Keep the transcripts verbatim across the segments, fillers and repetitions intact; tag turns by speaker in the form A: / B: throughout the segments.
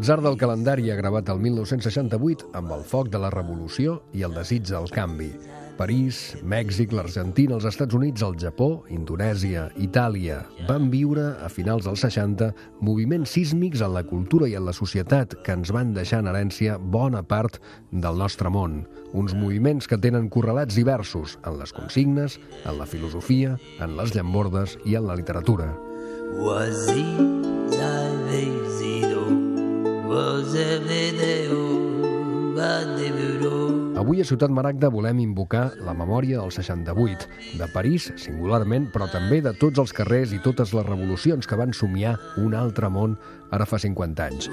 A: L'atzar del calendari ha gravat el mil nou-cents seixanta-vuit amb el foc de la revolució i el desig del canvi. París, Mèxic, l'Argentina, els Estats Units, el Japó, Indonèsia, Itàlia van viure a finals dels seixanta moviments sísmics en la cultura i en la societat que ens van deixar en herència bona part del nostre món. Uns moviments que tenen correlats diversos en les consignes, en la filosofia, en les llambordes i en la literatura. Avui a Ciutat Maragda volem invocar la memòria del seixanta-vuit, de París singularment, però també de tots els carrers i totes les revolucions que van somiar un altre món ara fa cinquanta anys.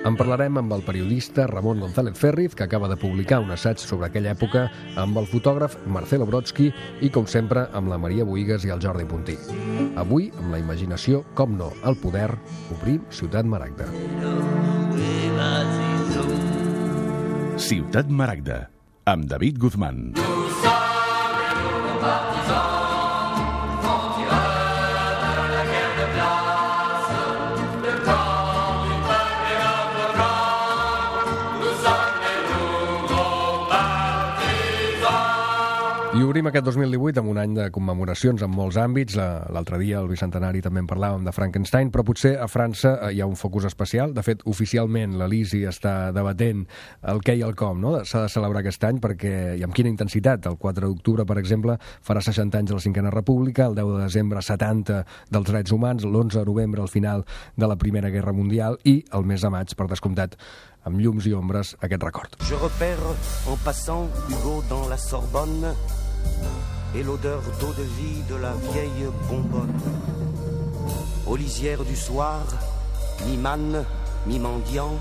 A: En parlarem amb el periodista Ramon González Ferriz, que acaba de publicar un assaig sobre aquella època, amb el fotògraf Marcelo Brodsky i, com sempre, amb la Maria Bohigas i el Jordi Puntí. Avui, amb la imaginació, com no, al poder, obrim Ciutat Maragda.
B: Ciutat Maragda, amb David Guzmán.
A: I obrim aquest dos mil divuit amb un any de commemoracions en molts àmbits. L'altre dia, al bicentenari, també en parlàvem de Frankenstein, però potser a França hi ha un focus especial. De fet, oficialment, l'Elisi està debatent el què i el com, no? S'ha de celebrar aquest any perquè, i amb quina intensitat. El quatre d'octubre, per exemple, farà seixanta anys de la Cinquena República, el deu de desembre, setanta dels drets humans, l'onze de novembre, al final de la Primera Guerra Mundial, i el mes de maig, per descomptat, amb llums i ombres, aquest record.
C: Je repère en passant Hugo dans la Sorbonne et l'odeur d'eau de vie de la vieille bonbonne. Aux lisières du soir, mi-manne, mi-mendiant,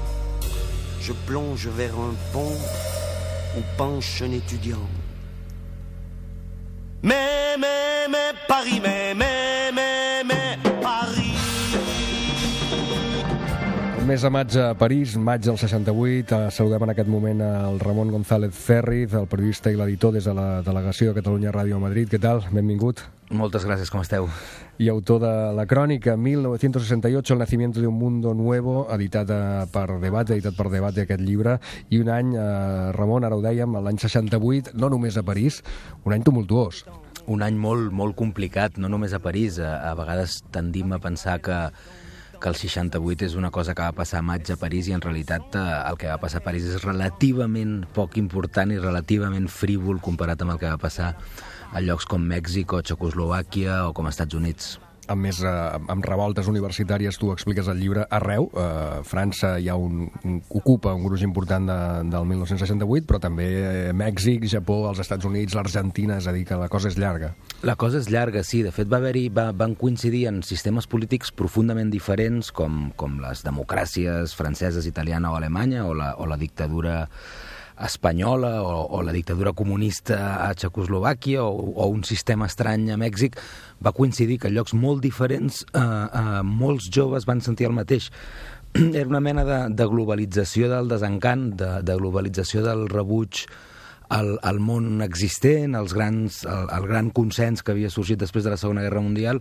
C: je plonge vers un pont où penche un étudiant. Mais, mais, mais, Paris, mais, mais, mais, mais, Paris.
A: El mes de maig a París, maig del seixanta-vuit. Saludem en aquest moment el Ramon González Ferriz, el periodista i l'editor des de la delegació de Catalunya Ràdio a Madrid. Què tal? Benvingut.
D: Moltes gràcies, com esteu?
A: I autor de la crònica mil nou-cents seixanta-vuit, El nacimiento de un mundo nuevo, editat per Debate, editat per Debate aquest llibre, i un any, eh, Ramon, ara ho dèiem, l'any seixanta-vuit, no només a París, un any tumultuós.
D: Un any molt, molt complicat, no només a París. A, a vegades tendim a pensar que que el seixanta-vuit és una cosa que va passar a maig a París i en realitat eh, el que va passar a París és relativament poc important i relativament frívol comparat amb el que va passar a llocs com Mèxic o Txecoslovàquia o com Estats Units.
A: A més, eh, amb revoltes universitàries, tu expliques el llibre arreu. Eh, França ja un, un, ocupa un gruix important de, del mil nou-cents seixanta-vuit, però també eh, Mèxic, Japó, els Estats Units, l'Argentina, és a dir, que la cosa és llarga.
D: La cosa és llarga, sí. De fet, va haver-hi, va, van coincidir en sistemes polítics profundament diferents, com, com les democràcies franceses, italiana o alemanya, o la, o la dictadura espanyola o, o la dictadura comunista a Txecoslovàquia o, o un sistema estrany a Mèxic. Va coincidir que en llocs molt diferents eh, eh, molts joves van sentir el mateix. Era una mena de, de globalització del desencant, de, de globalització del rebuig al, al món existent, als grans, al, al gran consens que havia sorgit després de la Segona Guerra Mundial,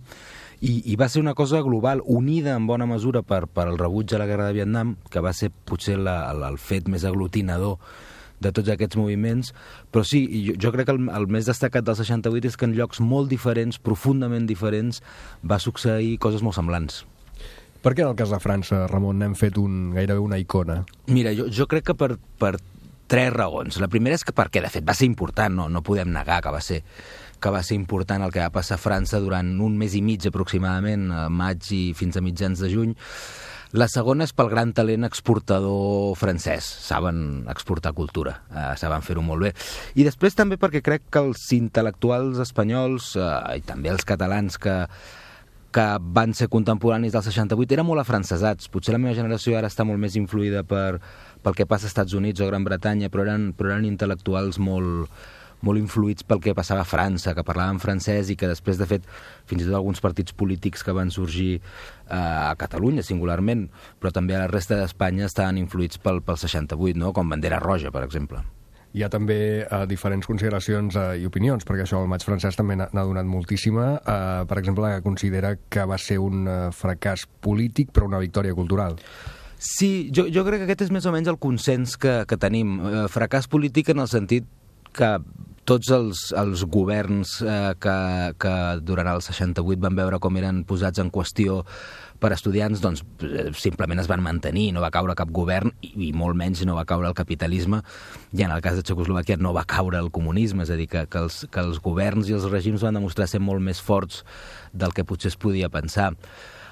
D: i, i va ser una cosa global, unida en bona mesura per, per el rebuig a la Guerra de Vietnam, que va ser potser la, el, el fet més aglutinador de tots aquests moviments, però sí, jo, jo crec que el, el més destacat del seixanta-vuit és que en llocs molt diferents, profundament diferents, va succeir coses molt semblants.
A: Per què en el cas de França, Ramon, n'hem fet un, gairebé una icona?
D: Mira, jo, jo crec que per, per tres raons. La primera és que perquè, de fet, va ser important, no, no podem negar que va ser que va ser important el que va passar a França durant un mes i mig aproximadament, a maig i fins a mitjans de juny. La segona és pel gran talent exportador francès. Saben exportar cultura, eh, saben fer-ho molt bé. I després també perquè crec que els intel·lectuals espanyols eh, i també els catalans que, que van ser contemporanis del seixanta-vuit eren molt afrancesats. Potser la meva generació ara està molt més influïda per, pel que passa als Estats Units o Gran Bretanya, però eren, però eren intel·lectuals molt, molt influïts pel que passava a França, que parlaven francès i que després, de fet, fins i tot alguns partits polítics que van sorgir eh, a Catalunya, singularment, però també a la resta d'Espanya estaven influïts pel, pel seixanta-vuit, no? Com Bandera Roja, per exemple.
A: Hi ha també uh, diferents consideracions uh, i opinions, perquè això el maig francès també n'ha donat moltíssima. Uh, per exemple, considera que va ser un uh, fracàs polític però una victòria cultural.
D: Sí, jo, jo crec que aquest és més o menys el consens que, que tenim. Uh, fracàs polític en el sentit que tots els, els governs eh, que, que durant el seixanta-vuit van veure com eren posats en qüestió per estudiants, doncs simplement es van mantenir, no va caure cap govern i, i molt menys no va caure el capitalisme, i en el cas de Txecoslovàquia no va caure el comunisme, és a dir, que, que, els, que els governs i els regims van demostrar ser molt més forts del que potser es podia pensar.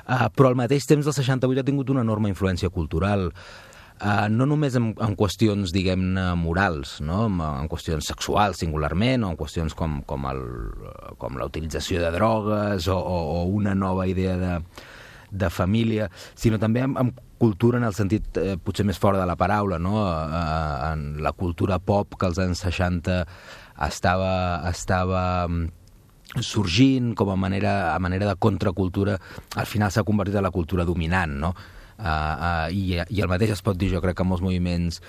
D: Uh, però al mateix temps el seixanta-vuit ha tingut una enorme influència cultural. Uh, no només en, en qüestions, diguem-ne, morals, no? en, en qüestions sexuals singularment, o en qüestions com, com, el, com la utilització de drogues o, o, o una nova idea de, de família, sinó també en, en cultura en el sentit eh, potser més fora de la paraula, no? Uh, en la cultura pop que als anys seixanta estava, estava sorgint com a manera, a manera de contracultura, al final s'ha convertit en la cultura dominant, no? Uh, uh, i, i el mateix es pot dir, jo crec, que molts moviments,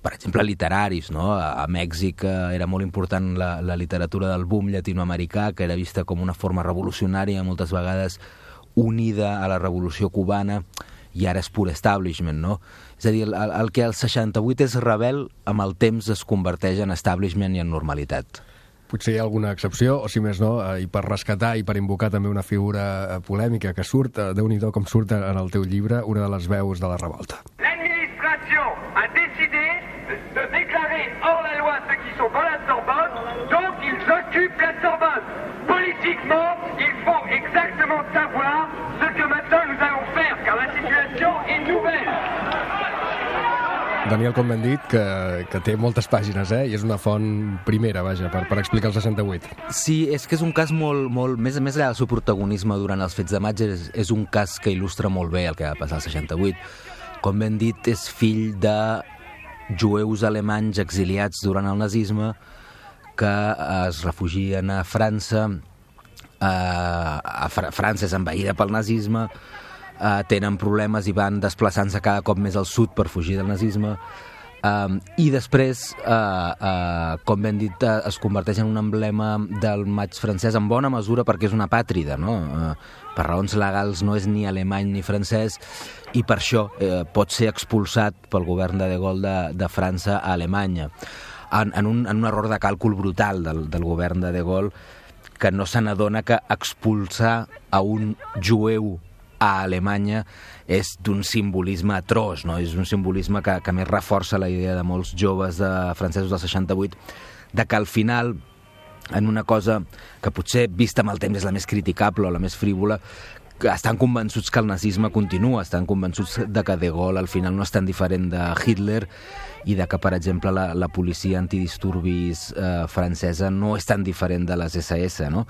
D: per exemple, literaris, no? A, a Mèxic uh, era molt important la, la literatura del boom llatinoamericà, que era vista com una forma revolucionària, moltes vegades unida a la revolució cubana, i ara és pur establishment, no? És a dir, el, el que al seixanta-vuit és rebel, amb el temps es converteix en establishment i en normalitat.
A: Potser hi ha alguna excepció, o si més no, i per rescatar i per invocar també una figura polèmica que surt, Déu-n'hi-do com surt en el teu llibre, una de les veus de la revolta.
E: L'administration a décidé de déclarer hors la loi ceux qui sont dans la Sorbonne, donc ils occupent la Sorbonne. Politiquement, il faut exactement savoir ce que maintenant nous allons faire, car la situation est nouvelle.
A: Daniel Cohn-Bendit, que, que té moltes pàgines, eh? I és una font primera, vaja, per, per explicar el seixanta-vuit.
D: Sí, és que és un cas molt, molt més, més allà del seu protagonisme durant els fets de maig, és, és un cas que il·lustra molt bé el que va passar al seixanta-vuit. Cohn-Bendit és fill de jueus alemanys exiliats durant el nazisme que es refugien a França. Eh, a Fra França és envaïda pel nazisme, Uh, tenen problemes i van desplaçant-se cada cop més al sud per fugir del nazisme, um, i després uh, uh, com ben dit uh, es converteix en un emblema del maig francès en bona mesura perquè és una pàtrida, no? Uh, per raons legals no és ni alemany ni francès, i per això uh, pot ser expulsat pel govern de De Gaulle de, de França a Alemanya en, en, un, en un error de càlcul brutal del, del govern de De Gaulle, que no se n'adona que expulsar a un jueu a Alemanya és d'un simbolisme atroç, no? És un simbolisme que, que més reforça la idea de molts joves de francesos del seixanta-vuit de que al final, en una cosa que potser vista amb el temps és la més criticable o la més frívola, que estan convençuts que el nazisme continua, estan convençuts de que De Gaulle al final no és tan diferent de Hitler i de que, per exemple, la, la policia antidisturbis eh, francesa no és tan diferent de les esse esse, no?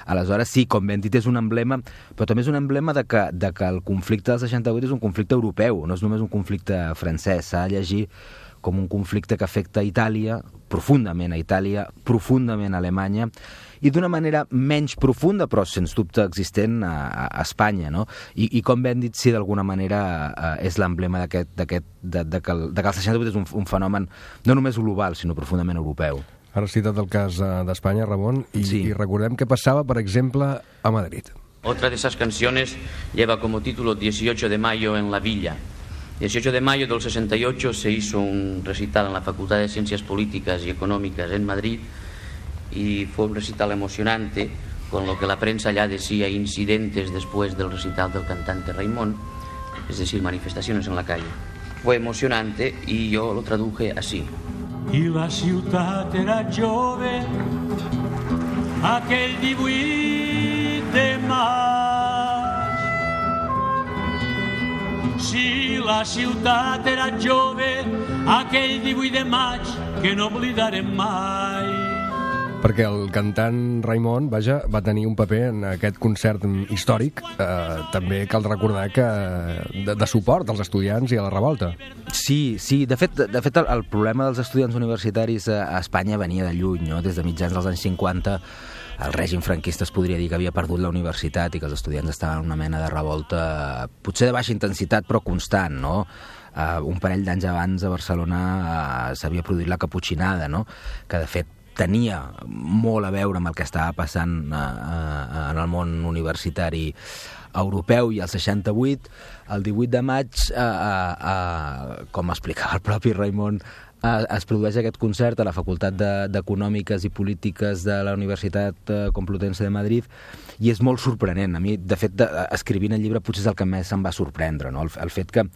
D: Aleshores, sí, com ben dit, és un emblema, però també és un emblema de que, de que el conflicte del seixanta-vuit és un conflicte europeu, no és només un conflicte francès, s'ha de llegir com un conflicte que afecta a Itàlia, profundament a Itàlia, profundament a Alemanya, i d'una manera menys profunda, però sens dubte existent a, a Espanya, no? I, i com ben dit, sí, d'alguna manera eh, és l'emblema d'aquest, d'aquest, de, de, que el, de que el seixanta-vuit és un, un fenomen no només global, sinó profundament europeu.
A: Ara has citat el cas d'Espanya, Ramon, i,
D: sí.
A: i recordem què passava, per exemple, a Madrid.
F: Otra de esas canciones lleva como título dieciocho de mayo en la Villa. dieciocho de mayo del sesenta y ocho se hizo un recital en la Facultad de Ciencias Políticas y Económicas en Madrid y fue un recital emocionante, con lo que la prensa ya decía incidentes después del recital del cantante Raimon, es decir, manifestaciones en la calle. Fue emocionante y yo lo traduje así.
G: I la ciutat era jove aquell divuit de maig. Si la ciutat era jove aquell divuit de maig que no oblidarem mai.
A: Perquè el cantant Raimon, vaja, va tenir un paper en aquest concert històric. Eh, també cal recordar que de, de suport als estudiants i a la revolta.
D: Sí, sí. De fet, de fet el, el problema dels estudiants universitaris a, a Espanya venia de lluny, no? Des de mitjans dels anys cinquanta el règim franquista es podria dir que havia perdut la universitat i que els estudiants estaven en una mena de revolta, potser de baixa intensitat, però constant, no? Uh, un parell d'anys abans a Barcelona uh, s'havia produït la Caputxinada, no? Que de fet tenia molt a veure amb el que estava passant uh, uh, en el món universitari europeu. I el seixanta-vuit, el divuit de maig, uh, uh, uh, com explicava el propi Raimon, uh, es produeix aquest concert a la Facultat d'Econòmiques i Polítiques de la Universitat uh, Complutense de Madrid, i és molt sorprenent. A mi, de fet, de, escrivint el llibre potser és el que més em va sorprendre, no? el, el fet que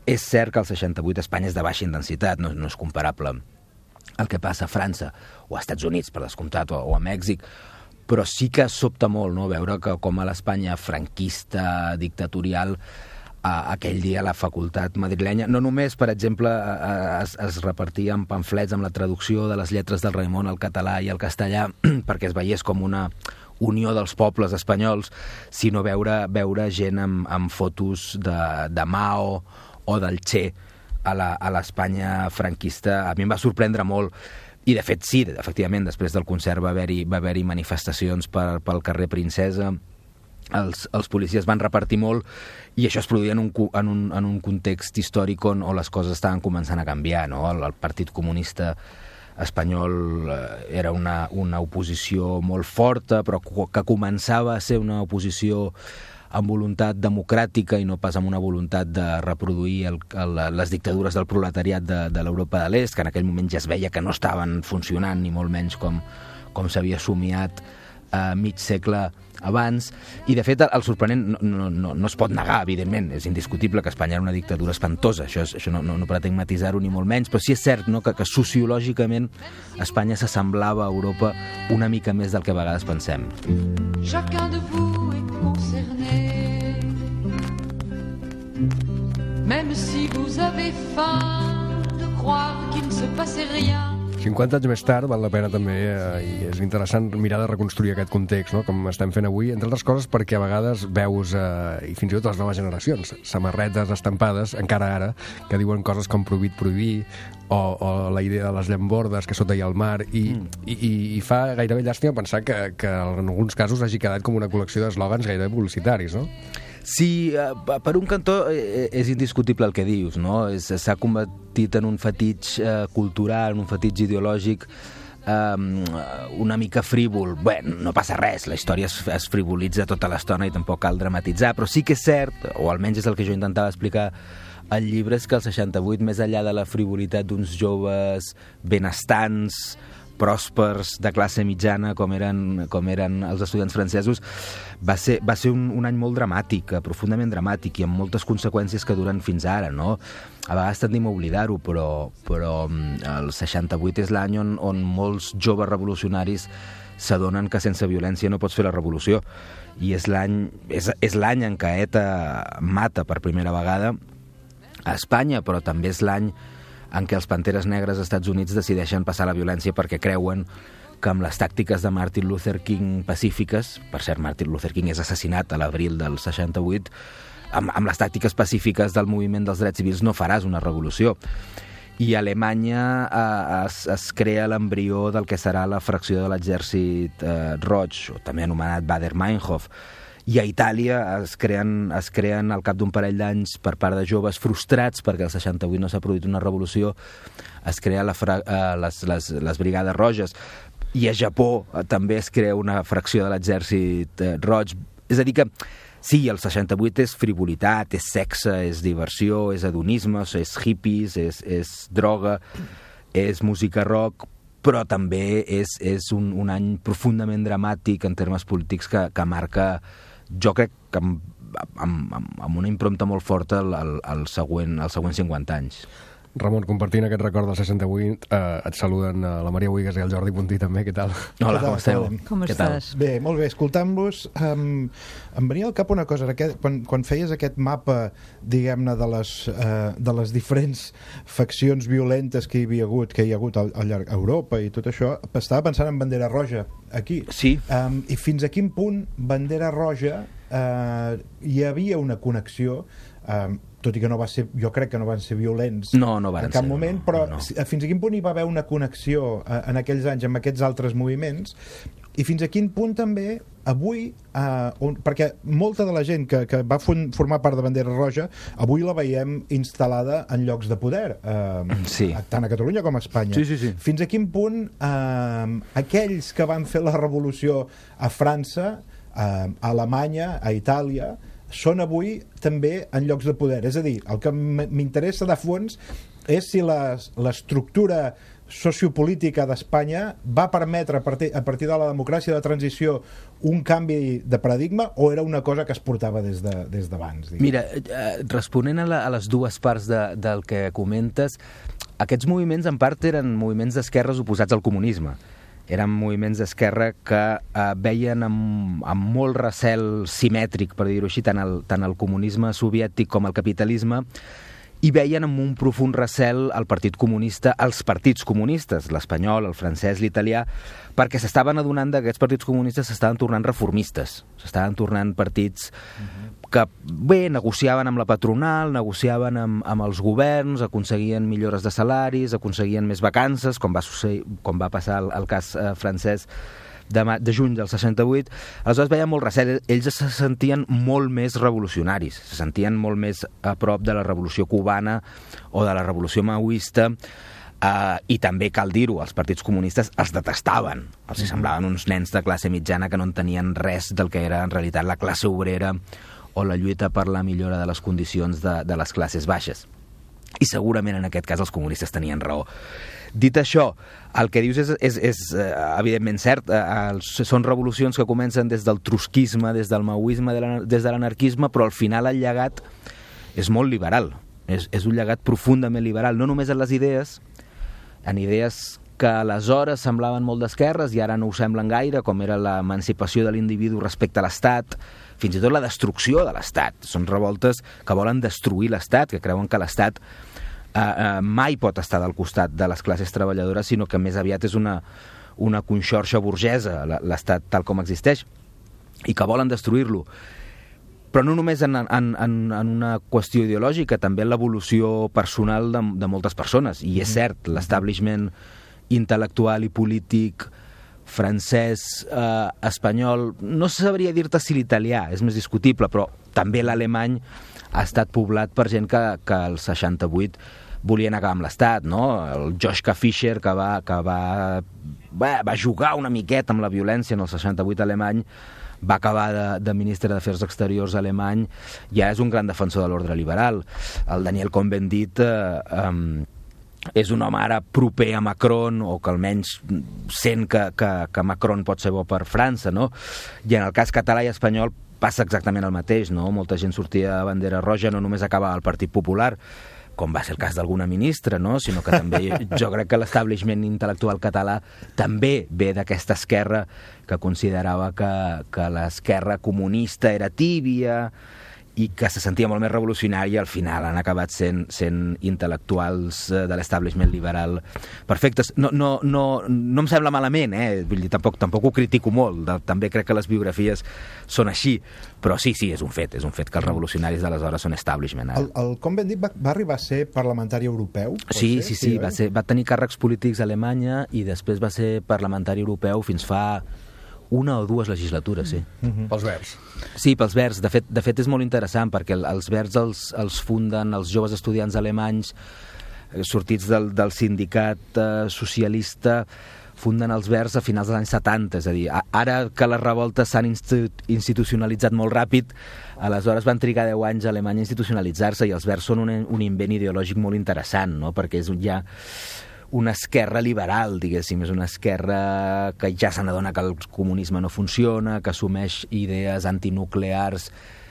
D: és cert que el seixanta-vuit a Espanya és de baixa intensitat, no, no és comparable al que passa a França o a Estats Units, per descomptat, o, o a Mèxic, però sí que sobta molt, no?, veure que com a l'Espanya franquista, dictatorial, a, aquell dia la facultat madrilenya, no només, per exemple, es, es repartia en pamflets amb la traducció de les lletres del Raimon al català i al castellà, perquè es veiés com una unió dels pobles espanyols, sinó veure, veure gent amb, amb fotos de, de Mao o del Che a l'Espanya franquista. A mi em va sorprendre molt. I, de fet, sí, efectivament, després del concert va haver-hi va haver-hi manifestacions per, pel carrer Princesa, els, els policies van repartir molt, i això es produïa en un, en un, en un context històric on, on les coses estaven començant a canviar, no? El, el Partit Comunista espanyol eh, era una, una oposició molt forta, però que començava a ser una oposició amb voluntat democràtica i no pas amb una voluntat de reproduir el, el, les dictadures del proletariat de, de l'Europa de l'Est, que en aquell moment ja es veia que no estaven funcionant, ni molt menys com, com s'havia somiat eh, mig segle abans. I, de fet, el, el sorprenent no, no, no, no es pot negar, evidentment, és indiscutible que Espanya era una dictadura espantosa, això, és, això no, no, no pretenc matisar-ho ni molt menys, però sí és cert, no?, que, que sociològicament Espanya s'assemblava a Europa una mica més del que a vegades pensem.
H: Chacun de vous est concerné, même si vous avez faim de croire qu'il ne se passait rien.
A: cinquanta anys més tard val la pena també, eh, i és interessant mirar de reconstruir aquest context, no?, com estem fent avui, entre altres coses perquè a vegades veus, eh, i fins i tot les noves generacions, samarretes estampades, encara ara, que diuen coses com prohibit prohibir, o, o la idea de les llambordes, que sota hi ha el mar, i, mm. i, i, i fa gairebé llàstima pensar que, que en alguns casos hagi quedat com una col·lecció d'eslògans gairebé publicitaris, no?
D: Sí, per un cantó és indiscutible el que dius, no? S'ha convertit en un fetitx eh, cultural, en un fetitx ideològic eh, una mica frívol. Bé, no passa res, la història es, es frivolitza tota l'estona i tampoc cal dramatitzar, però sí que és cert, o almenys és el que jo intentava explicar al llibre, és que el seixanta-vuit, més enllà de la frivolitat d'uns joves benestants, pròspers, de classe mitjana, com eren, com eren els estudiants francesos, va ser, va ser un, un any molt dramàtic, profundament dramàtic, i amb moltes conseqüències que duren fins ara, no? A vegades tendim a oblidar-ho, però, però el seixanta-vuit és l'any on, on molts joves revolucionaris s'adonen que sense violència no pots fer la revolució, i és l'any és, és l'any en què ETA mata per primera vegada a Espanya, però també és l'any en què els Panteres Negres als Estats Units decideixen passar la violència perquè creuen que amb les tàctiques de Martin Luther King pacífiques, per cert, Martin Luther King és assassinat a l'abril del seixanta-vuit, amb, amb les tàctiques pacífiques del moviment dels drets civils no faràs una revolució. I a Alemanya eh, es, es crea l'embrió del que serà la fracció de l'exèrcit eh, roig, o també anomenat Baader-Meinhof, i a Itàlia es creen, es creen al cap d'un parell d'anys per part de joves frustrats perquè el seixanta-vuit no s'ha produït una revolució, es crea la fra, eh, les, les, les Brigades Roges, i a Japó eh, també es crea una fracció de l'exèrcit eh, roig. És a dir que sí, el seixanta-vuit és frivolitat, és sexe, és diversió, és hedonisme, és hippies, és, és droga, és música rock, però també és, és un, un any profundament dramàtic en termes polítics que, que marca, jo crec que amb, amb, amb una impronta molt forta el, el, el següent, els següents cinquanta anys.
A: Ramon, compartint aquest record del seixanta-vuit, eh, et saluden eh, la Maria Buigas i el Jordi Puntí també, què tal?
D: Hola, com esteu?
I: Com estàs?
J: Bé, molt bé, escoltant-vos, um, em venia al cap una cosa, aquest, quan, quan feies aquest mapa, diguem-ne, de, les, uh, de les diferents faccions violentes que hi havia hagut, que hi ha hagut al, al llarg d'Europa i tot això, estava pensant en Bandera Roja, aquí.
D: Sí.
J: Um, I fins a quin punt Bandera Roja uh, hi havia una connexió, um, tot i que no va ser, jo crec que no van ser violents
D: no, no van
J: en cap
D: ser,
J: moment,
D: no,
J: però
D: no, no.
J: fins a quin punt hi va haver una connexió eh, en aquells anys amb aquests altres moviments, i fins a quin punt també avui, eh, on, perquè molta de la gent que, que va fon, formar part de Bandera Roja, avui la veiem instal·lada en llocs de poder, eh,
D: sí.
J: tant a Catalunya com a Espanya.
D: Sí, sí, sí.
J: Fins a quin punt eh, aquells que van fer la revolució a França, eh, a Alemanya, a Itàlia, són avui també en llocs de poder. És a dir, el que m'interessa de fons és si l'estructura sociopolítica d'Espanya va permetre a partir, a partir de la democràcia de transició un canvi de paradigma o era una cosa que es portava des de, des d'abans?
D: Mira, eh, responent a, la, a les dues parts de, del que comentes, aquests moviments en part eren moviments d'esquerres oposats al comunisme. Eren moviments d'esquerra que eh, veien amb, amb molt recel simètric, per dir-ho així, tant el, tant el comunisme soviètic com el capitalisme, i veien amb un profund recel el Partit Comunista, els partits comunistes, l'espanyol, el francès, l'italià, perquè s'estaven adonant que aquests partits comunistes s'estaven tornant reformistes, s'estaven tornant partits que, bé, negociaven amb la patronal, negociaven amb, amb els governs, aconseguien millores de salaris, aconseguien més vacances, com va, succeir, com va passar el, el cas eh, francès de, de juny del seixanta-vuit. Aleshores veien molt recel, ells se sentien molt més revolucionaris, se sentien molt més a prop de la revolució cubana o de la revolució maoista, Uh, i també cal dir-ho, els partits comunistes els detestaven, els semblaven uns nens de classe mitjana que no entenien res del que era en realitat la classe obrera o la lluita per la millora de les condicions de, de les classes baixes. I segurament en aquest cas els comunistes tenien raó. Dit això, el que dius és, és, és evidentment cert, uh, són revolucions que comencen des del trotskisme, des del maoisme, des de l'anarquisme, però al final el llegat és molt liberal, és, és un llegat profundament liberal, no només en les idees, en idees que aleshores semblaven molt d'esquerres i ara no ho semblen gaire, com era l'emancipació de l'individu respecte a l'Estat, fins i tot la destrucció de l'Estat. Són revoltes que volen destruir l'Estat, que creuen que l'Estat eh, eh, mai pot estar del costat de les classes treballadores, sinó que més aviat és una, una conxorxa burgesa, l'Estat tal com existeix, i que volen destruir-lo. Però no només en, en, en, en una qüestió ideològica, també en l'evolució personal de, de moltes persones. I és cert, l'establishment intel·lectual i polític francès, eh, espanyol, no sabria dir-te si l'italià, és més discutible, però també l'alemany ha estat poblat per gent que, que al seixanta-vuit volien acabar amb l'Estat, no? El Joschka Fischer, que va, que va, va, va jugar una miqueta amb la violència en el seixanta-vuit alemany, va acabar de, de ministre d'Afers Exteriors alemany, ja és un gran defensor de l'ordre liberal. El Daniel Cohn-Bendit eh, eh, és un home ara proper a Macron, o que almenys sent que, que, que Macron pot ser bo per França, no? I en el cas català i espanyol passa exactament el mateix, no? Molta gent sortia a Bandera Roja, no només acabava al Partit Popular, com va ser el cas d'alguna ministra, no? Sinó que també jo crec que l'establishment intel·lectual català també ve d'aquesta esquerra que considerava que, que l'esquerra comunista era tíbia i que se sentia molt més revolucionari, i al final han acabat sent, sent intel·lectuals de l'establishment liberal perfectes. No, no, no, no em sembla malament, eh? Vull dir, tampoc, tampoc ho critico molt, de, també crec que les biografies són així, però sí, sí, és un fet, és un fet que els revolucionaris d'aleshores són establishment. Ara.
J: El, el Cohn-Bendit va, va arribar a ser parlamentari europeu?
D: Sí,
J: ser?
D: sí, sí, sí, va, ser, va tenir càrrecs polítics a Alemanya i després va ser parlamentari europeu fins fa una o dues legislatures, sí.
A: Mm-hmm. Pels Verds.
D: Sí, pels Verds. De fet, de fet és molt interessant perquè els Verds els, els funden els joves estudiants alemanys eh, sortits del, del sindicat eh, socialista, funden els Verds a finals dels anys setanta, és a dir, ara que les revoltes s'han institucionalitzat molt ràpid, aleshores van trigar deu anys a Alemanya a institucionalitzar-se, i els Verds són un, un invent ideològic molt interessant, no? Perquè és ja una esquerra liberal, diguéssim, és una esquerra que ja se n'adona que el comunisme no funciona, que assumeix idees antinuclears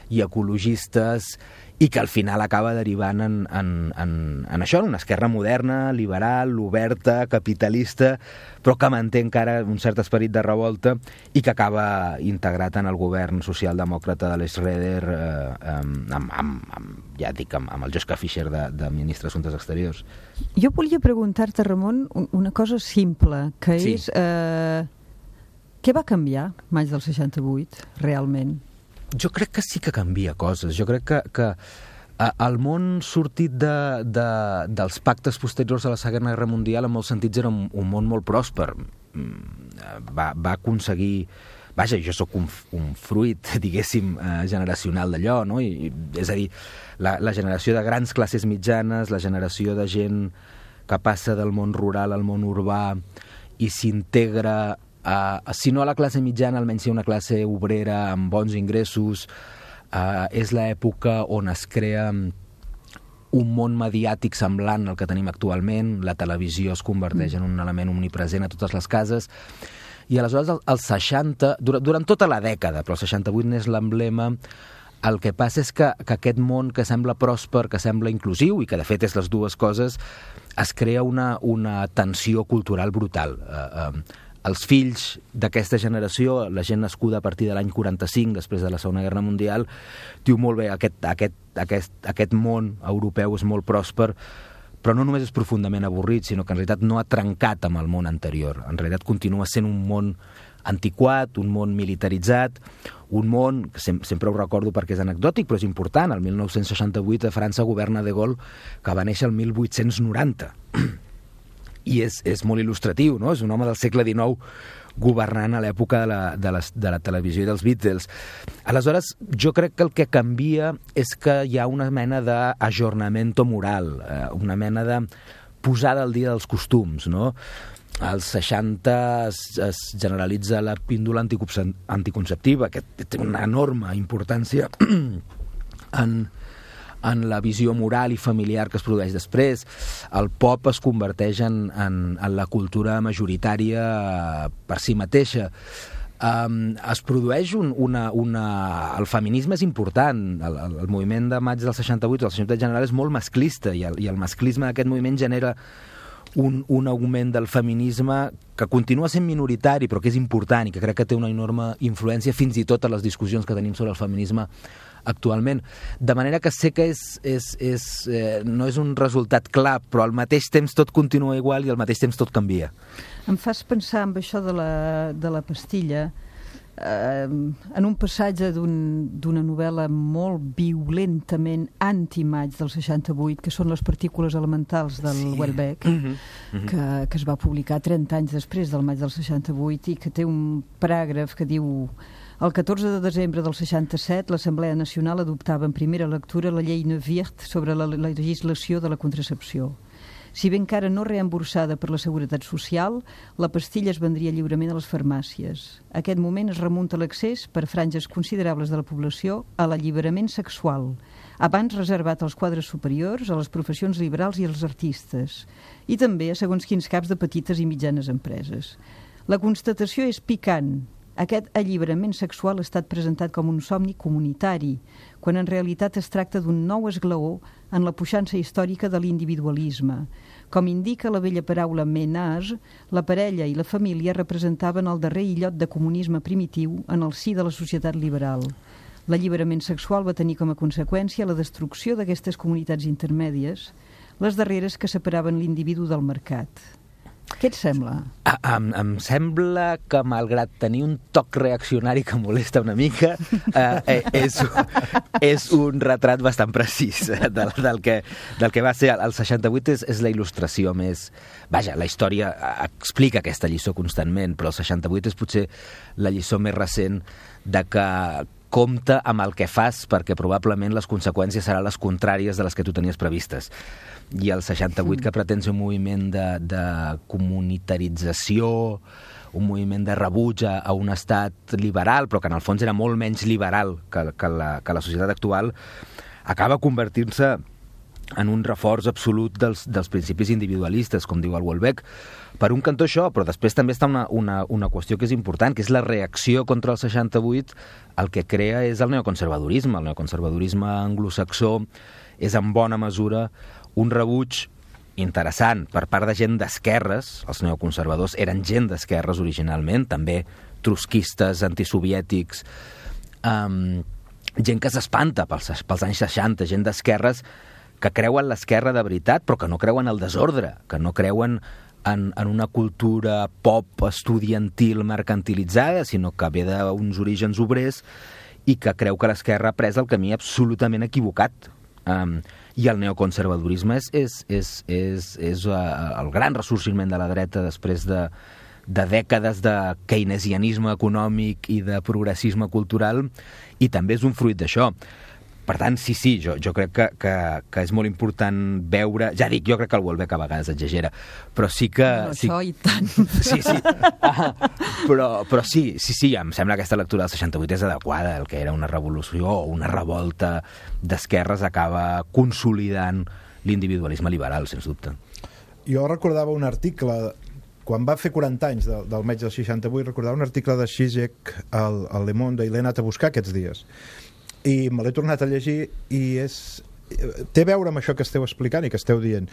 D: i ecologistes, i que al final acaba derivant en, en, en, en això, en una esquerra moderna, liberal, oberta, capitalista, però que manté encara un cert esperit de revolta i que acaba integrat en el govern socialdemòcrata de l'Schroeder, eh, amb, amb, amb, ja dic, amb, amb el Joschka Fischer de, de ministre d'Assumptes Exteriors.
I: Jo volia preguntar-te, Ramon, una cosa simple, que
D: sí.
I: és... Eh, què va canviar maig del seixanta-vuit, realment?
D: Jo crec que sí que canvia coses. Jo crec que, que el món sortit de, de, dels pactes posteriors a la Segona Guerra Mundial en molts sentits era un, un món molt pròsper. va, va aconseguir... Vaja, jo sóc un, un fruit, diguéssim, eh, generacional d'allò, no? I, és a dir, la, la generació de grans classes mitjanes, la generació de gent que passa del món rural al món urbà i s'integra, a, si no a la classe mitjana, almenys si una classe obrera amb bons ingressos. Eh, és l'època on es crea un món mediàtic semblant al que tenim actualment. La televisió es converteix en un element omnipresent a totes les cases. I aleshores, als seixanta, durant, durant tota la dècada, però el seixanta-vuit n'és l'emblema, el que passa és que, que aquest món que sembla pròsper, que sembla inclusiu, i que de fet és les dues coses, es crea una, una tensió cultural brutal. Eh, eh, els fills d'aquesta generació, la gent nascuda a partir de l'any quaranta-cinc, després de la Segona Guerra Mundial, diu molt bé, aquest, aquest, aquest, aquest món europeu és molt pròsper, però no només és profundament avorrit, sinó que en realitat no ha trencat amb el món anterior. En realitat continua sent un món antiquat, un món militaritzat, un món, que sem sempre ho recordo perquè és anecdòtic, però és important, el mil nou-cents seixanta-vuit a França governa De Gaulle, que va néixer el mil vuit-cents noranta. I és, és molt il·lustratiu, no? És un home del segle dinou governant a l'època de, la, de, les, de la televisió i dels Beatles. Aleshores, jo crec que el que canvia és que hi ha una mena d'ajornament moral, eh, una mena de posada al dia dels costums, no? Als seixanta es, es generalitza la píndola anticonceptiva, que té una enorme importància en... en la visió moral i familiar que es produeix després. El pop es converteix en, en, en la cultura majoritària per si mateixa. Um, es produeix un, una, una... El feminisme és important. El, el, el moviment de maig del seixanta-vuit, el seixanta-vuit general, és molt masclista, i el, i el masclisme d'aquest moviment genera un, un augment del feminisme que continua sent minoritari, però que és important i que crec que té una enorme influència fins i tot a les discussions que tenim sobre el feminisme actualment. De manera que sé que és, és, és, eh, no és un resultat clar, però al mateix temps tot continua igual i al mateix temps tot canvia.
I: Em fas pensar en això de la, de la pastilla, eh, en un passatge d'una un, novel·la molt violentament anti-maig del seixanta-vuit, que són les partícules elementals del sí. Welbeck, mm -hmm. Mm -hmm. que, que es va publicar trenta anys després del maig del seixanta-vuit i que té un paràgraf que diu: el catorze de desembre del seixanta-set, l'Assemblea Nacional adoptava en primera lectura la llei Neuwirth sobre la, la legislació de la contracepció. Si bé encara no reemborsada per la Seguretat Social, la pastilla es vendria lliurement a les farmàcies. Aquest moment es remunta l'accés per franges considerables de la població a l'alliberament sexual, abans reservat als quadres superiors, a les professions liberals i als artistes, i també a segons quins caps de petites i mitjanes empreses. La constatació és picant. Aquest alliberament sexual ha estat presentat com un somni comunitari, quan en realitat es tracta d'un nou esglaó en la puixança històrica de l'individualisme. Com indica la vella paraula ménage, la parella i la família representaven el darrer illot de comunisme primitiu en el si de la societat liberal. L'alliberament sexual va tenir com a conseqüència la destrucció d'aquestes comunitats intermèdies, les darreres que separaven l'individu del mercat. Què et sembla?
D: Ah, em, em sembla que, malgrat tenir un toc reaccionari que molesta una mica, eh, eh, és, és un retrat bastant precís del, del, que, del que va ser. El seixanta-vuit és, és la il·lustració més... Vaja, la història explica aquesta lliçó constantment, però el seixanta-vuit és potser la lliçó més recent de que compta amb el que fas, perquè probablement les conseqüències seran les contràries de les que tu tenies previstes. I el seixanta-vuit, que pretén ser un moviment de, de comunitarització, un moviment de rebuig a, a un estat liberal, però que en el fons era molt menys liberal que, que, la, que la societat actual, acaba convertint-se en un reforç absolut dels, dels principis individualistes, com diu el Welbeck. Per un cantó això, però després també està una, una, una qüestió que és important, que és la reacció contra el seixanta-vuit. El que crea és el neoconservadorisme. El neoconservadorisme anglosaxó és en bona mesura un rebuig interessant per part de gent d'esquerres. Els neoconservadors eren gent d'esquerres originalment, també trotskistes, antisoviètics, um, gent que s'espanta pels, pels anys seixanta, gent d'esquerres que creuen l'esquerra de veritat, però que no creuen el desordre, que no creuen en, en una cultura pop estudiantil mercantilitzada, sinó que ve d'uns orígens obrers i que creu que l'esquerra ha pres el camí absolutament equivocat. Um, I el neoconservadorisme és, és, és, és, és uh, el gran ressorgiment de la dreta després de, de dècades de keynesianisme econòmic i de progressisme cultural, i també és un fruit d'això. Per tant, sí, sí, jo, jo crec que, que, que és molt important veure... Ja dic, jo crec que el Houellebecq a vegades exagera, però sí que...
I: No,
D: sí,
I: això i tant.
D: Sí, sí. Ah, però, però sí, sí, sí, em sembla que aquesta lectura del seixanta-vuit és adequada. El que era una revolució o una revolta d'esquerres acaba consolidant l'individualisme liberal, sens dubte.
J: Jo recordava un article... Quan va fer quaranta anys del, del maig del seixanta-vuit, recordava un article de Zizek al, al Le Monde, i l'he anat a buscar aquests dies. I me l'he tornat a llegir i és... té a veure amb això que esteu explicant i que esteu dient.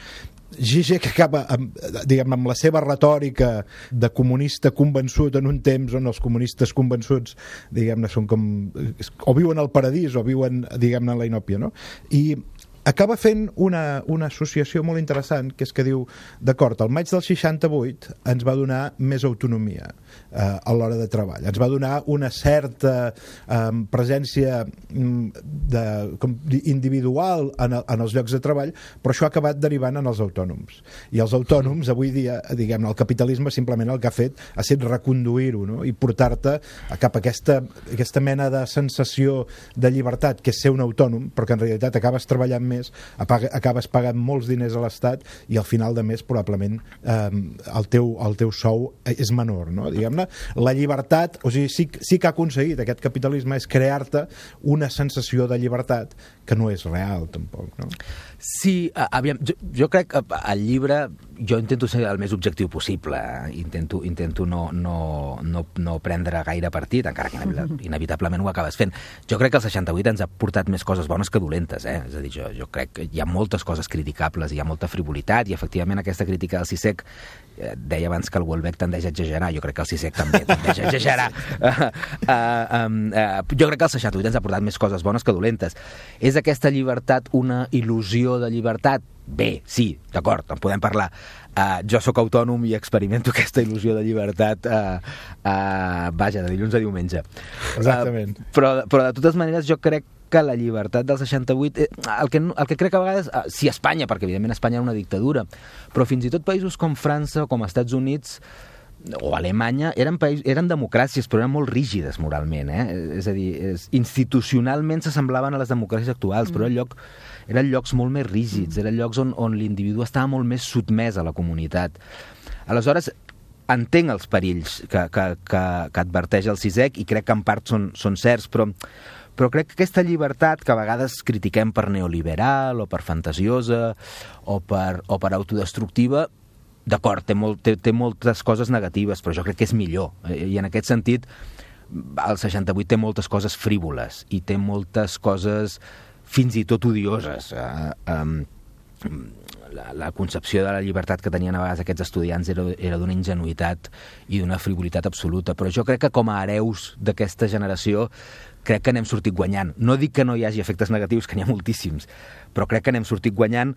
J: Zizek acaba amb, diguem, amb la seva retòrica de comunista convençut en un temps on els comunistes convençuts, diguem-ne, són com... o viuen al paradís o viuen, diguem-ne, en la inòpia, no? I acaba fent una, una associació molt interessant, que és que diu, d'acord, el maig del seixanta-vuit ens va donar més autonomia eh, a l'hora de treball, ens va donar una certa eh, presència de, com, individual en, en els llocs de treball, però això ha acabat derivant en els autònoms. I els autònoms, avui dia, diguem, el capitalisme simplement el que ha fet ha estat reconduir-ho, no? I portar-te cap a aquesta, aquesta mena de sensació de llibertat, que és ser un autònom, però que en realitat acabes treballant més més, acabes pagant molts diners a l'Estat i al final de mes probablement eh, el, teu, el teu sou és menor, no? Diguem-ne, la llibertat, o sigui, sí, sí que ha aconseguit aquest capitalisme és crear-te una sensació de llibertat que no és real tampoc, no?
D: Sí, aviam, jo, jo crec que al llibre jo intento ser el més objectiu possible, intento, intento no, no, no, no prendre gaire partit, encara que inevitablement ho acabes fent. Jo crec que el seixanta-vuit ens ha portat més coses bones que dolentes, eh? És a dir, jo, jo crec que hi ha moltes coses criticables, hi ha molta frivolitat, i efectivament aquesta crítica del Zizek, eh, deia abans que el Houellebecq tendeix a exagerar, jo crec que el Zizek també tendeix a exagerar. Uh, uh, um, uh, jo crec que el seixanta-vuit ens ha portat més coses bones que dolentes. És aquesta llibertat una il·lusió de llibertat? Bé, sí, d'acord, en podem parlar. Uh, jo sóc autònom i experimento aquesta il·lusió de llibertat uh, uh, vaja, de dilluns a diumenge.
J: Exactament.
D: Uh, però, però de totes maneres jo crec que la llibertat del seixanta-vuit, eh, el, que, el que crec que a vegades, eh, sí, Espanya, perquè evidentment Espanya era una dictadura, però fins i tot països com França o com Estats Units o Alemanya eren, païs, eren democràcies, però eren molt rígides moralment, eh? És a dir, és, institucionalment s'assemblaven a les democràcies actuals, mm. però eren, lloc, eren llocs molt més rígids, mm. eren llocs on, on l'individu estava molt més sotmès a la comunitat. Aleshores, entenc els perills que, que, que, que adverteix el Zizek i crec que en part són, són certs, però però crec que aquesta llibertat que a vegades critiquem per neoliberal o per fantasiosa o per, o per autodestructiva, d'acord, té, molt, té, té moltes coses negatives, però jo crec que és millor. I en aquest sentit, el seixanta-vuit té moltes coses frívoles i té moltes coses fins i tot odioses. Eh, eh, la, la concepció de la llibertat que tenien a vegades aquests estudiants era, era d'una ingenuïtat i d'una frivolitat absoluta, però jo crec que com a hereus d'aquesta generació crec que n'hem sortit guanyant. No dic que no hi hagi efectes negatius, que n'hi ha moltíssims, però crec que n'hem sortit guanyant.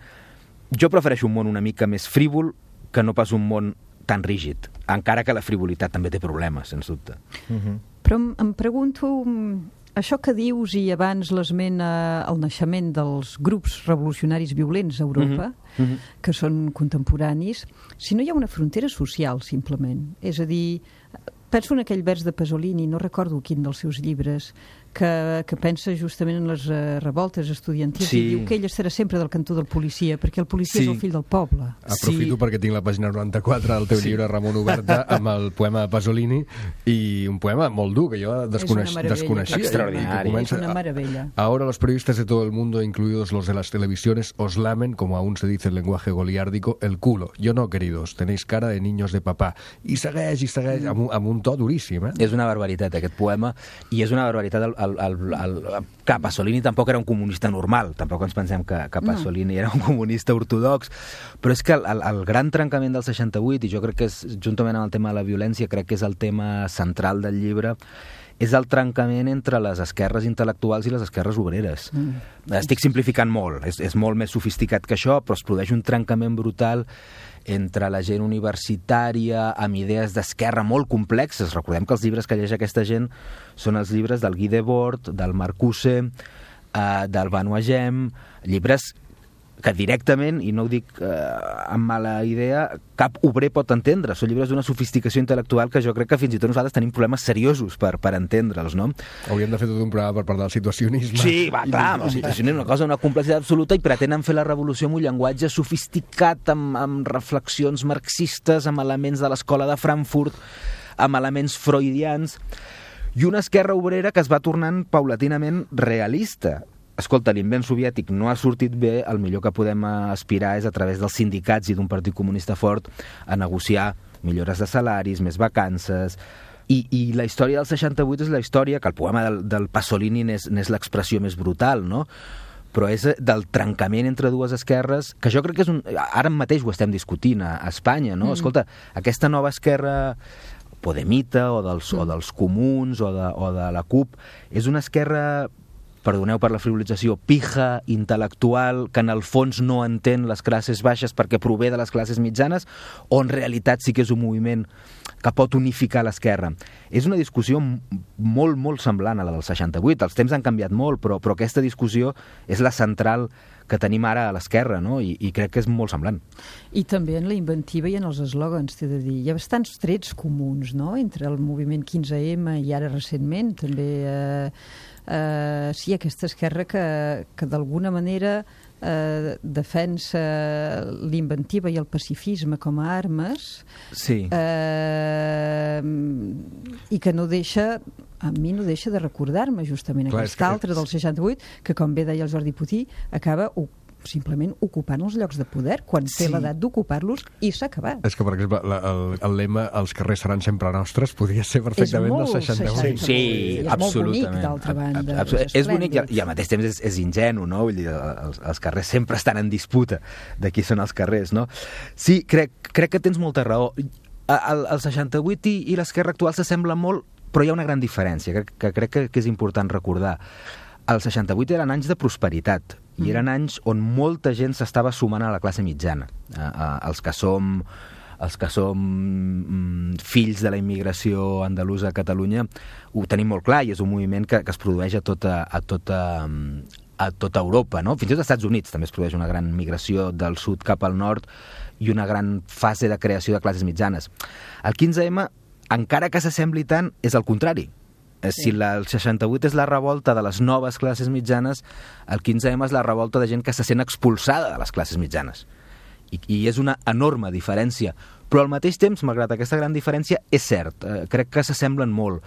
D: Jo prefereixo un món una mica més frívol que no pas un món tan rígid, encara que la frivolitat també té problemes, sens dubte.
I: Uh-huh. Però em, em pregunto, això que dius i abans l'esment al naixement dels grups revolucionaris violents a Europa, uh-huh. Uh-huh. que són contemporanis, si no hi ha una frontera social, simplement. És a dir, penso en aquell vers de Pasolini, no recordo quin dels seus llibres, que, que pensa justament en les uh, revoltes estudiantils sí. i diu que ell estarà sempre del cantó del policia, perquè el policia sí. és el fill del poble.
A: Aprofito sí. perquè tinc la pàgina noranta-quatre del teu sí. llibre, Ramon, oberta, amb el poema de Pasolini, i un poema molt dur, que jo desconeix, desconeixia.
D: Extraordinari.
I: Es una maravilla.
A: Ahora los periodistas de todo el mundo, incluidos los de las televisiones, os lamen, como aún se dice en lenguaje goliárdico, el culo. Yo no, queridos, tenéis cara de niños de papá. I segueix, i segueix, mm. amb, un, amb un to duríssim. Eh?
D: És una barbaritat, aquest poema, i és una barbaritat el, el, el, el, el, que Pasolini tampoc era un comunista normal, tampoc ens pensem que, que Pasolini no. era un comunista ortodox, però és que el, el, el gran trencament del seixanta-vuit, i jo crec que és, juntament amb el tema de la violència, crec que és el tema central del llibre, és el trencament entre les esquerres intel·lectuals i les esquerres obreres. Mm. Estic simplificant molt, és, és molt més sofisticat que això, però es produeix un trencament brutal entre la gent universitària amb idees d'esquerra molt complexes. Recordem que els llibres que llegeix aquesta gent són els llibres del Guy Debord, del Marcuse, eh, del Benoît Gem, llibres que directament, i no ho dic eh, amb mala idea, cap obrer pot entendre. Són llibres d'una sofisticació intel·lectual que jo crec que fins i tot nosaltres tenim problemes seriosos per, per entendre'ls, no?
A: Hauríem de fer tot un programa per parlar del situacionisme.
D: Sí, va, clar, el situacionisme és una cosa, una complexitat absoluta, i pretenen fer la revolució amb un llenguatge sofisticat, amb, amb reflexions marxistes, amb elements de l'escola de Frankfurt, amb elements freudians, i una esquerra obrera que es va tornant paulatinament realista. Escolta, l'invent soviètic no ha sortit bé, el millor que podem aspirar és a través dels sindicats i d'un partit comunista fort a negociar millores de salaris, més vacances. I, i la història del seixanta-vuit és la història, que el poema del, del Pasolini n'és, n'és l'expressió més brutal, no? Però és del trencament entre dues esquerres, que jo crec que és un... Ara mateix ho estem discutint a, a Espanya, no? Mm. Escolta, aquesta nova esquerra podemita o dels, mm. o dels comuns o de, o de la CUP és una esquerra, perdoneu per la frivolització, pija, intel·lectual, que en el fons no entén les classes baixes perquè prové de les classes mitjanes, o en realitat sí que és un moviment que pot unificar l'esquerra. És una discussió molt, molt semblant a la del seixanta-vuit. Els temps han canviat molt, però, però aquesta discussió és la central que tenim ara a l'esquerra, no? I, i crec que és molt semblant.
I: I també en la inventiva i en els eslògans, t'he de dir. Hi ha bastants trets comuns, no?, entre el moviment quinze ema i ara recentment, també... Eh, Uh, sí, aquesta esquerra que, que d'alguna manera uh, defensa l'inventiva i el pacifisme com a armes,
D: sí.
I: uh, i que no deixa, a mi no deixa de recordar-me justament Clar, aquesta altra del seixanta-vuit, que com bé deia el Jordi Puig, acaba simplement ocupant els llocs de poder quan sí. té l'edat d'ocupar-los, i s'ha acabat.
A: És que, per exemple, la, el, el lema "els carrers seran sempre nostres" podria ser perfectament del seixanta-vuit.
D: Sí,
I: és
D: absolutament.
I: molt bonic, d'altra banda.
D: Absol és, és bonic i, i al mateix temps és, és ingenu, no? Vull dir, els, els carrers sempre estan en disputa de qui són els carrers, no? Sí, crec, crec que tens molta raó. El, el seixanta-vuit i, i l'esquerra actual s'assemblen molt, però hi ha una gran diferència que, que crec que, que és important recordar. El seixanta-vuit eren anys de prosperitat, i eren anys on molta gent s'estava sumant a la classe mitjana. Eh, eh, els que som, els que som mm, fills de la immigració andalusa a Catalunya ho tenim molt clar, i és un moviment que, que es produeix a tota, a tota, a tota Europa, no? Fins i tot als Estats Units també es produeix una gran migració del sud cap al nord i una gran fase de creació de classes mitjanes. El quinze ema, encara que s'assembli tant, és el contrari. Si la, el seixanta-vuit és la revolta de les noves classes mitjanes, el quinze ema és la revolta de gent que se sent expulsada de les classes mitjanes. I, i és una enorme diferència. Però al mateix temps, malgrat aquesta gran diferència, és cert, eh, crec que s'assemblen molt.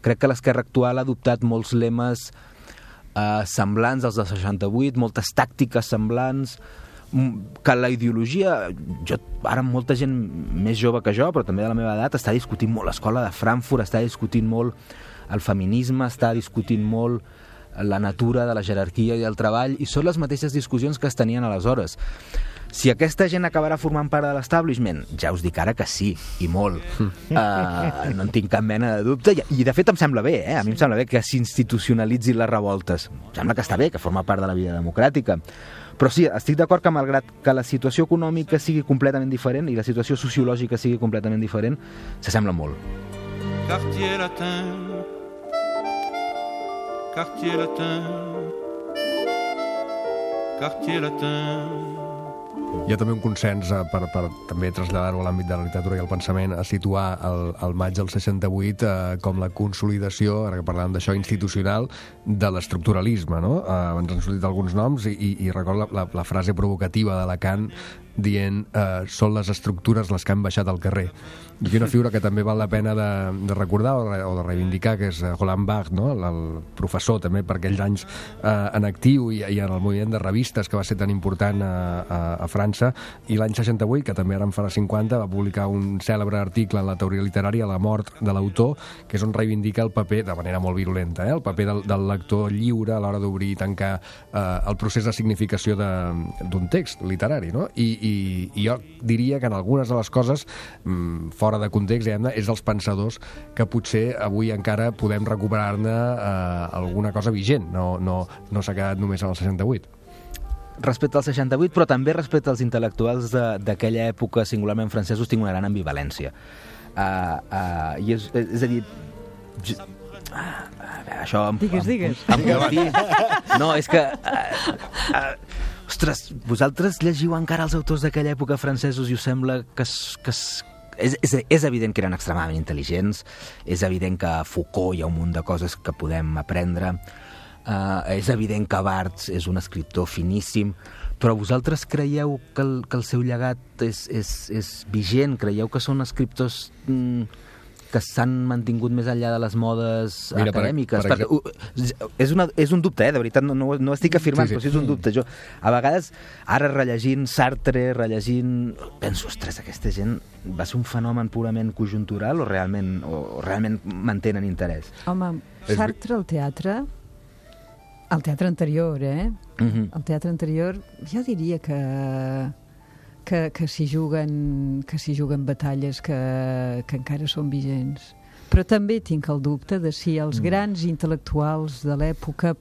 D: Crec que l'esquerra actual ha adoptat molts lemes eh, semblants als del seixanta-vuit, moltes tàctiques semblants, que la ideologia, jo, ara molta gent més jove que jo, però també de la meva edat, està discutint molt l'escola de Frankfurt, està discutint molt el feminisme, està discutint molt la natura de la jerarquia i el treball, i són les mateixes discussions que es tenien aleshores. Si aquesta gent acabarà formant part de l'establishment, ja us dic ara que sí, i molt. Uh, no en tinc cap mena de dubte, i, i de fet em sembla bé, eh? A mi em sembla bé que s'institucionalitzin les revoltes. Em sembla que està bé, que forma part de la vida democràtica. Però sí, estic d'acord que malgrat que la situació econòmica sigui completament diferent i la situació sociològica sigui completament diferent, s'assemblen molt.
K: Quartier latin, quartier latin, quartier latin.
A: Hi ha també un consens eh, per, per també traslladar-ho a l'àmbit de la literatura i el pensament, a situar el, el maig del seixanta-vuit eh, com la consolidació, ara que parlàvem d'això, institucional, de l'estructuralisme, no? Eh, ens han sortit alguns noms i, i, i recordo la, la, la frase provocativa de Lacan dient eh, són les estructures les que han baixat al carrer. I una figura que també val la pena de, de recordar o de, o de reivindicar, que és Roland Barthes, no? el, el professor també per aquells anys eh, en actiu i, i en el moviment de revistes que va ser tan important a, a, a França, i l'any seixanta-vuit, que també ara en farà cinquanta, va publicar un cèlebre article en la teoria literària, La mort de l'autor, que és on reivindica el paper, de manera molt virulenta, eh? el paper del, del lector lliure a l'hora d'obrir i tancar eh, el procés de significació d'un text literari, no? I, i, i jo diria que en algunes de les coses mmm, fora de context, diguem-ne, és dels pensadors que potser avui encara podem recuperar-ne eh, alguna cosa vigent, no, no, no s'ha quedat només en el seixanta-vuit.
D: Respecte al seixanta-vuit, però també respecte als intel·lectuals d'aquella època, singularment francesos, tinc una gran ambivalència. Uh, uh, i és, és a dir... Jo, uh, això... Em,
I: digues, digues.
D: Em, em, em, no, és que... Uh, uh, Ostres, vosaltres llegiu encara els autors d'aquella època francesos i us sembla que... Es, que es, és, és, és evident que eren extremadament intel·ligents, és evident que a Foucault hi ha un munt de coses que podem aprendre, uh, és evident que Barthes és un escriptor finíssim, però vosaltres creieu que el, que el seu llegat és, és, és vigent? Creieu que són escriptors... Mm, que s'han mantingut més enllà de les modes Mira, acadèmiques. Per, per perquè, és, una, és un dubte, eh? De veritat, no, no, no estic afirmant, sí, sí. però sí és un dubte. Jo, a vegades, ara rellegint Sartre, rellegint... Penso, ostres, aquesta gent va ser un fenomen purament conjuntural o realment, o realment mantenen interès?
I: Home, Sartre al teatre, al teatre anterior, eh? Uh-huh. El teatre anterior, jo diria que... que, que s'hi juguen, que s'hi juguen batalles que, que encara són vigents. Però també tinc el dubte de si els mm. grans intel·lectuals de l'època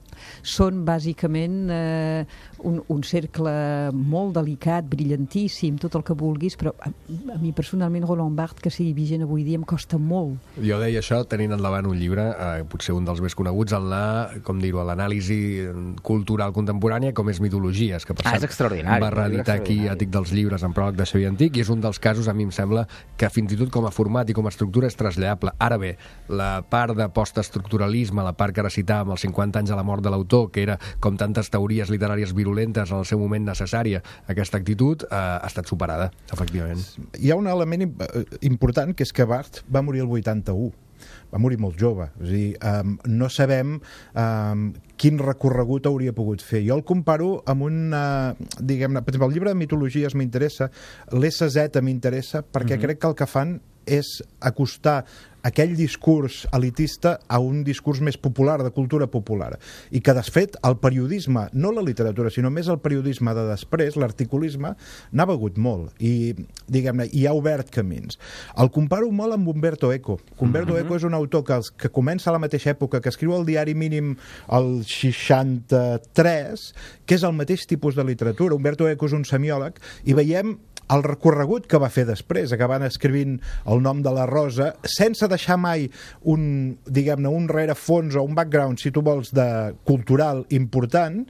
I: són bàsicament eh, un, un cercle molt delicat, brillantíssim, tot el que vulguis, però a, a mi personalment Roland Barthes, que sigui vigent avui dia, em costa molt.
A: Jo deia això tenint endavant un llibre, eh, potser un dels més coneguts, en la, com dir-ho, l'anàlisi cultural contemporània, com és Mitologies, que per
D: ah,
A: cert
D: va
A: reeditar aquí Àtic dels llibres en pròleg de Xavier Antic, i és un dels casos, a mi em sembla, que fins i tot com a format i com a estructura és traslladable. Ara bé, la part de postestructuralisme, la part que ara citàvem, els cinquanta anys de la mort de l'autor, que era, com tantes teories literàries virulentes en el seu moment necessària, aquesta actitud eh, ha estat superada, efectivament.
J: Hi ha un element important, que és que Barthes va morir el vuitanta-u. Va morir molt jove. És a dir, um, no sabem um, quin recorregut hauria pogut fer. Jo el comparo amb un, uh, diguem-ne, per exemple, el llibre de Mitologies m'interessa, l'S Z m'interessa, perquè mm-hmm. crec que el que fan és acostar aquell discurs elitista a un discurs més popular, de cultura popular. I que, de fet, el periodisme, no la literatura, sinó més el periodisme de després, l'articulisme, n'ha begut molt. I, diguem-ne, hi ha obert camins. El comparo molt amb Umberto Eco. Umberto mm-hmm. Eco és un autor que, que comença a la mateixa època, que escriu el diari mínim el seixanta-tres, que és el mateix tipus de literatura. Umberto Eco és un semiòleg, i veiem el recorregut que va fer després, acabant escrivint El nom de la rosa, sense deixar mai un, diguem-ne, un rerefons o un background, si tu vols, de cultural important,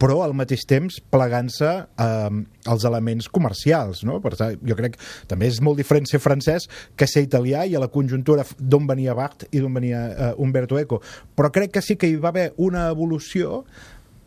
J: però al mateix temps plegant-se eh, els elements comercials, no? Per tant, jo crec que també és molt diferent ser francès que ser italià, i a la conjuntura d'on venia Barthes i d'on venia eh, Umberto Eco. Però crec que sí que hi va haver una evolució,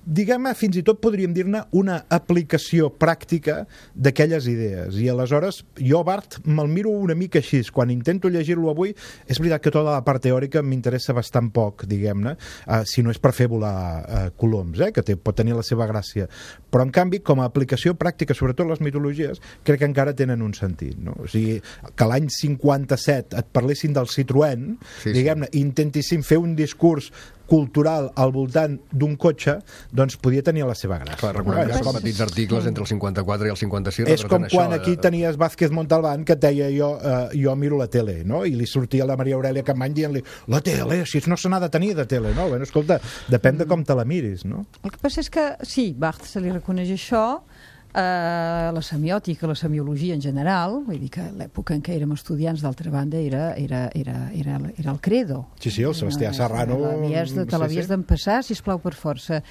J: diguem-ne, fins i tot podríem dir-ne una aplicació pràctica d'aquelles idees. I aleshores jo Barthes me'l miro una mica així. Quan intento llegir-lo avui, és veritat que tota la part teòrica m'interessa bastant poc, diguem-ne, uh, si no és per fer volar uh, coloms, eh, que té, pot tenir la seva gràcia. Però en canvi, com a aplicació pràctica, sobretot les mitologies, crec que encara tenen un sentit, no? O sigui, que l'any cinquanta-set et parlessin del Citroën, sí, diguem-ne, sí. intentissin fer un discurs cultural al voltant d'un cotxe, doncs podia tenir la seva gràcia.
A: Clar, recordem que són petits articles entre el cinquanta-quatre i el cinquanta-sis.
J: És com quan aquí tenies Vázquez Montalbán, que et deia jo, uh, jo miro la tele, no? I li sortia la Maria Aurelia Capmany dient-li la tele, si no se n'ha de tenir de tele, no? Bueno, escolta, depèn de com te la miris, no?
I: El que passa és que, sí, Barthes se li reconeix això, Uh, la semiòtica, la semiologia en general, vull dir que l'època en què érem estudiants, d'altra banda, era, era, era, era, era el credo.
J: Sí, sí, el Sebastià Serrano...
I: De, te l'havies sí, sí. d'empassar, sisplau, per força.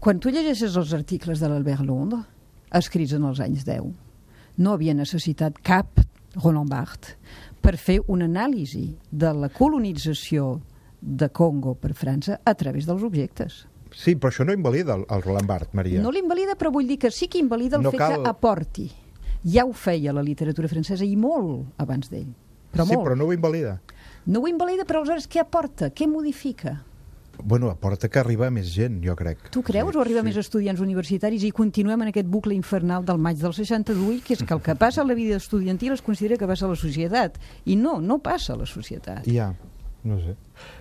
I: Quan tu llegeixes els articles de l'Albert Londres, escrits en els anys deu, no havia necessitat cap Roland Barthes per fer una anàlisi de la colonització de Congo per França a través dels objectes.
J: Sí, però això no invalida el, el Roland Barthes, Maria.
I: No l'invalida, però vull dir que sí que invalida el
J: no
I: fet cal... que aporti. Ja ho feia la literatura francesa, i molt abans d'ell. Però
J: sí,
I: molt.
J: però no ho invalida.
I: No ho invalida, però aleshores què aporta? Què modifica?
J: Bueno, aporta que arriba més gent, jo crec.
I: Tu creus? Sí, o arriba sí. més estudiants universitaris i continuem en aquest bucle infernal del maig del seixanta-vuit, que és que el que passa a la vida estudiantil es considera que passa a la societat. I no, no passa a la societat.
J: Ja, no sé.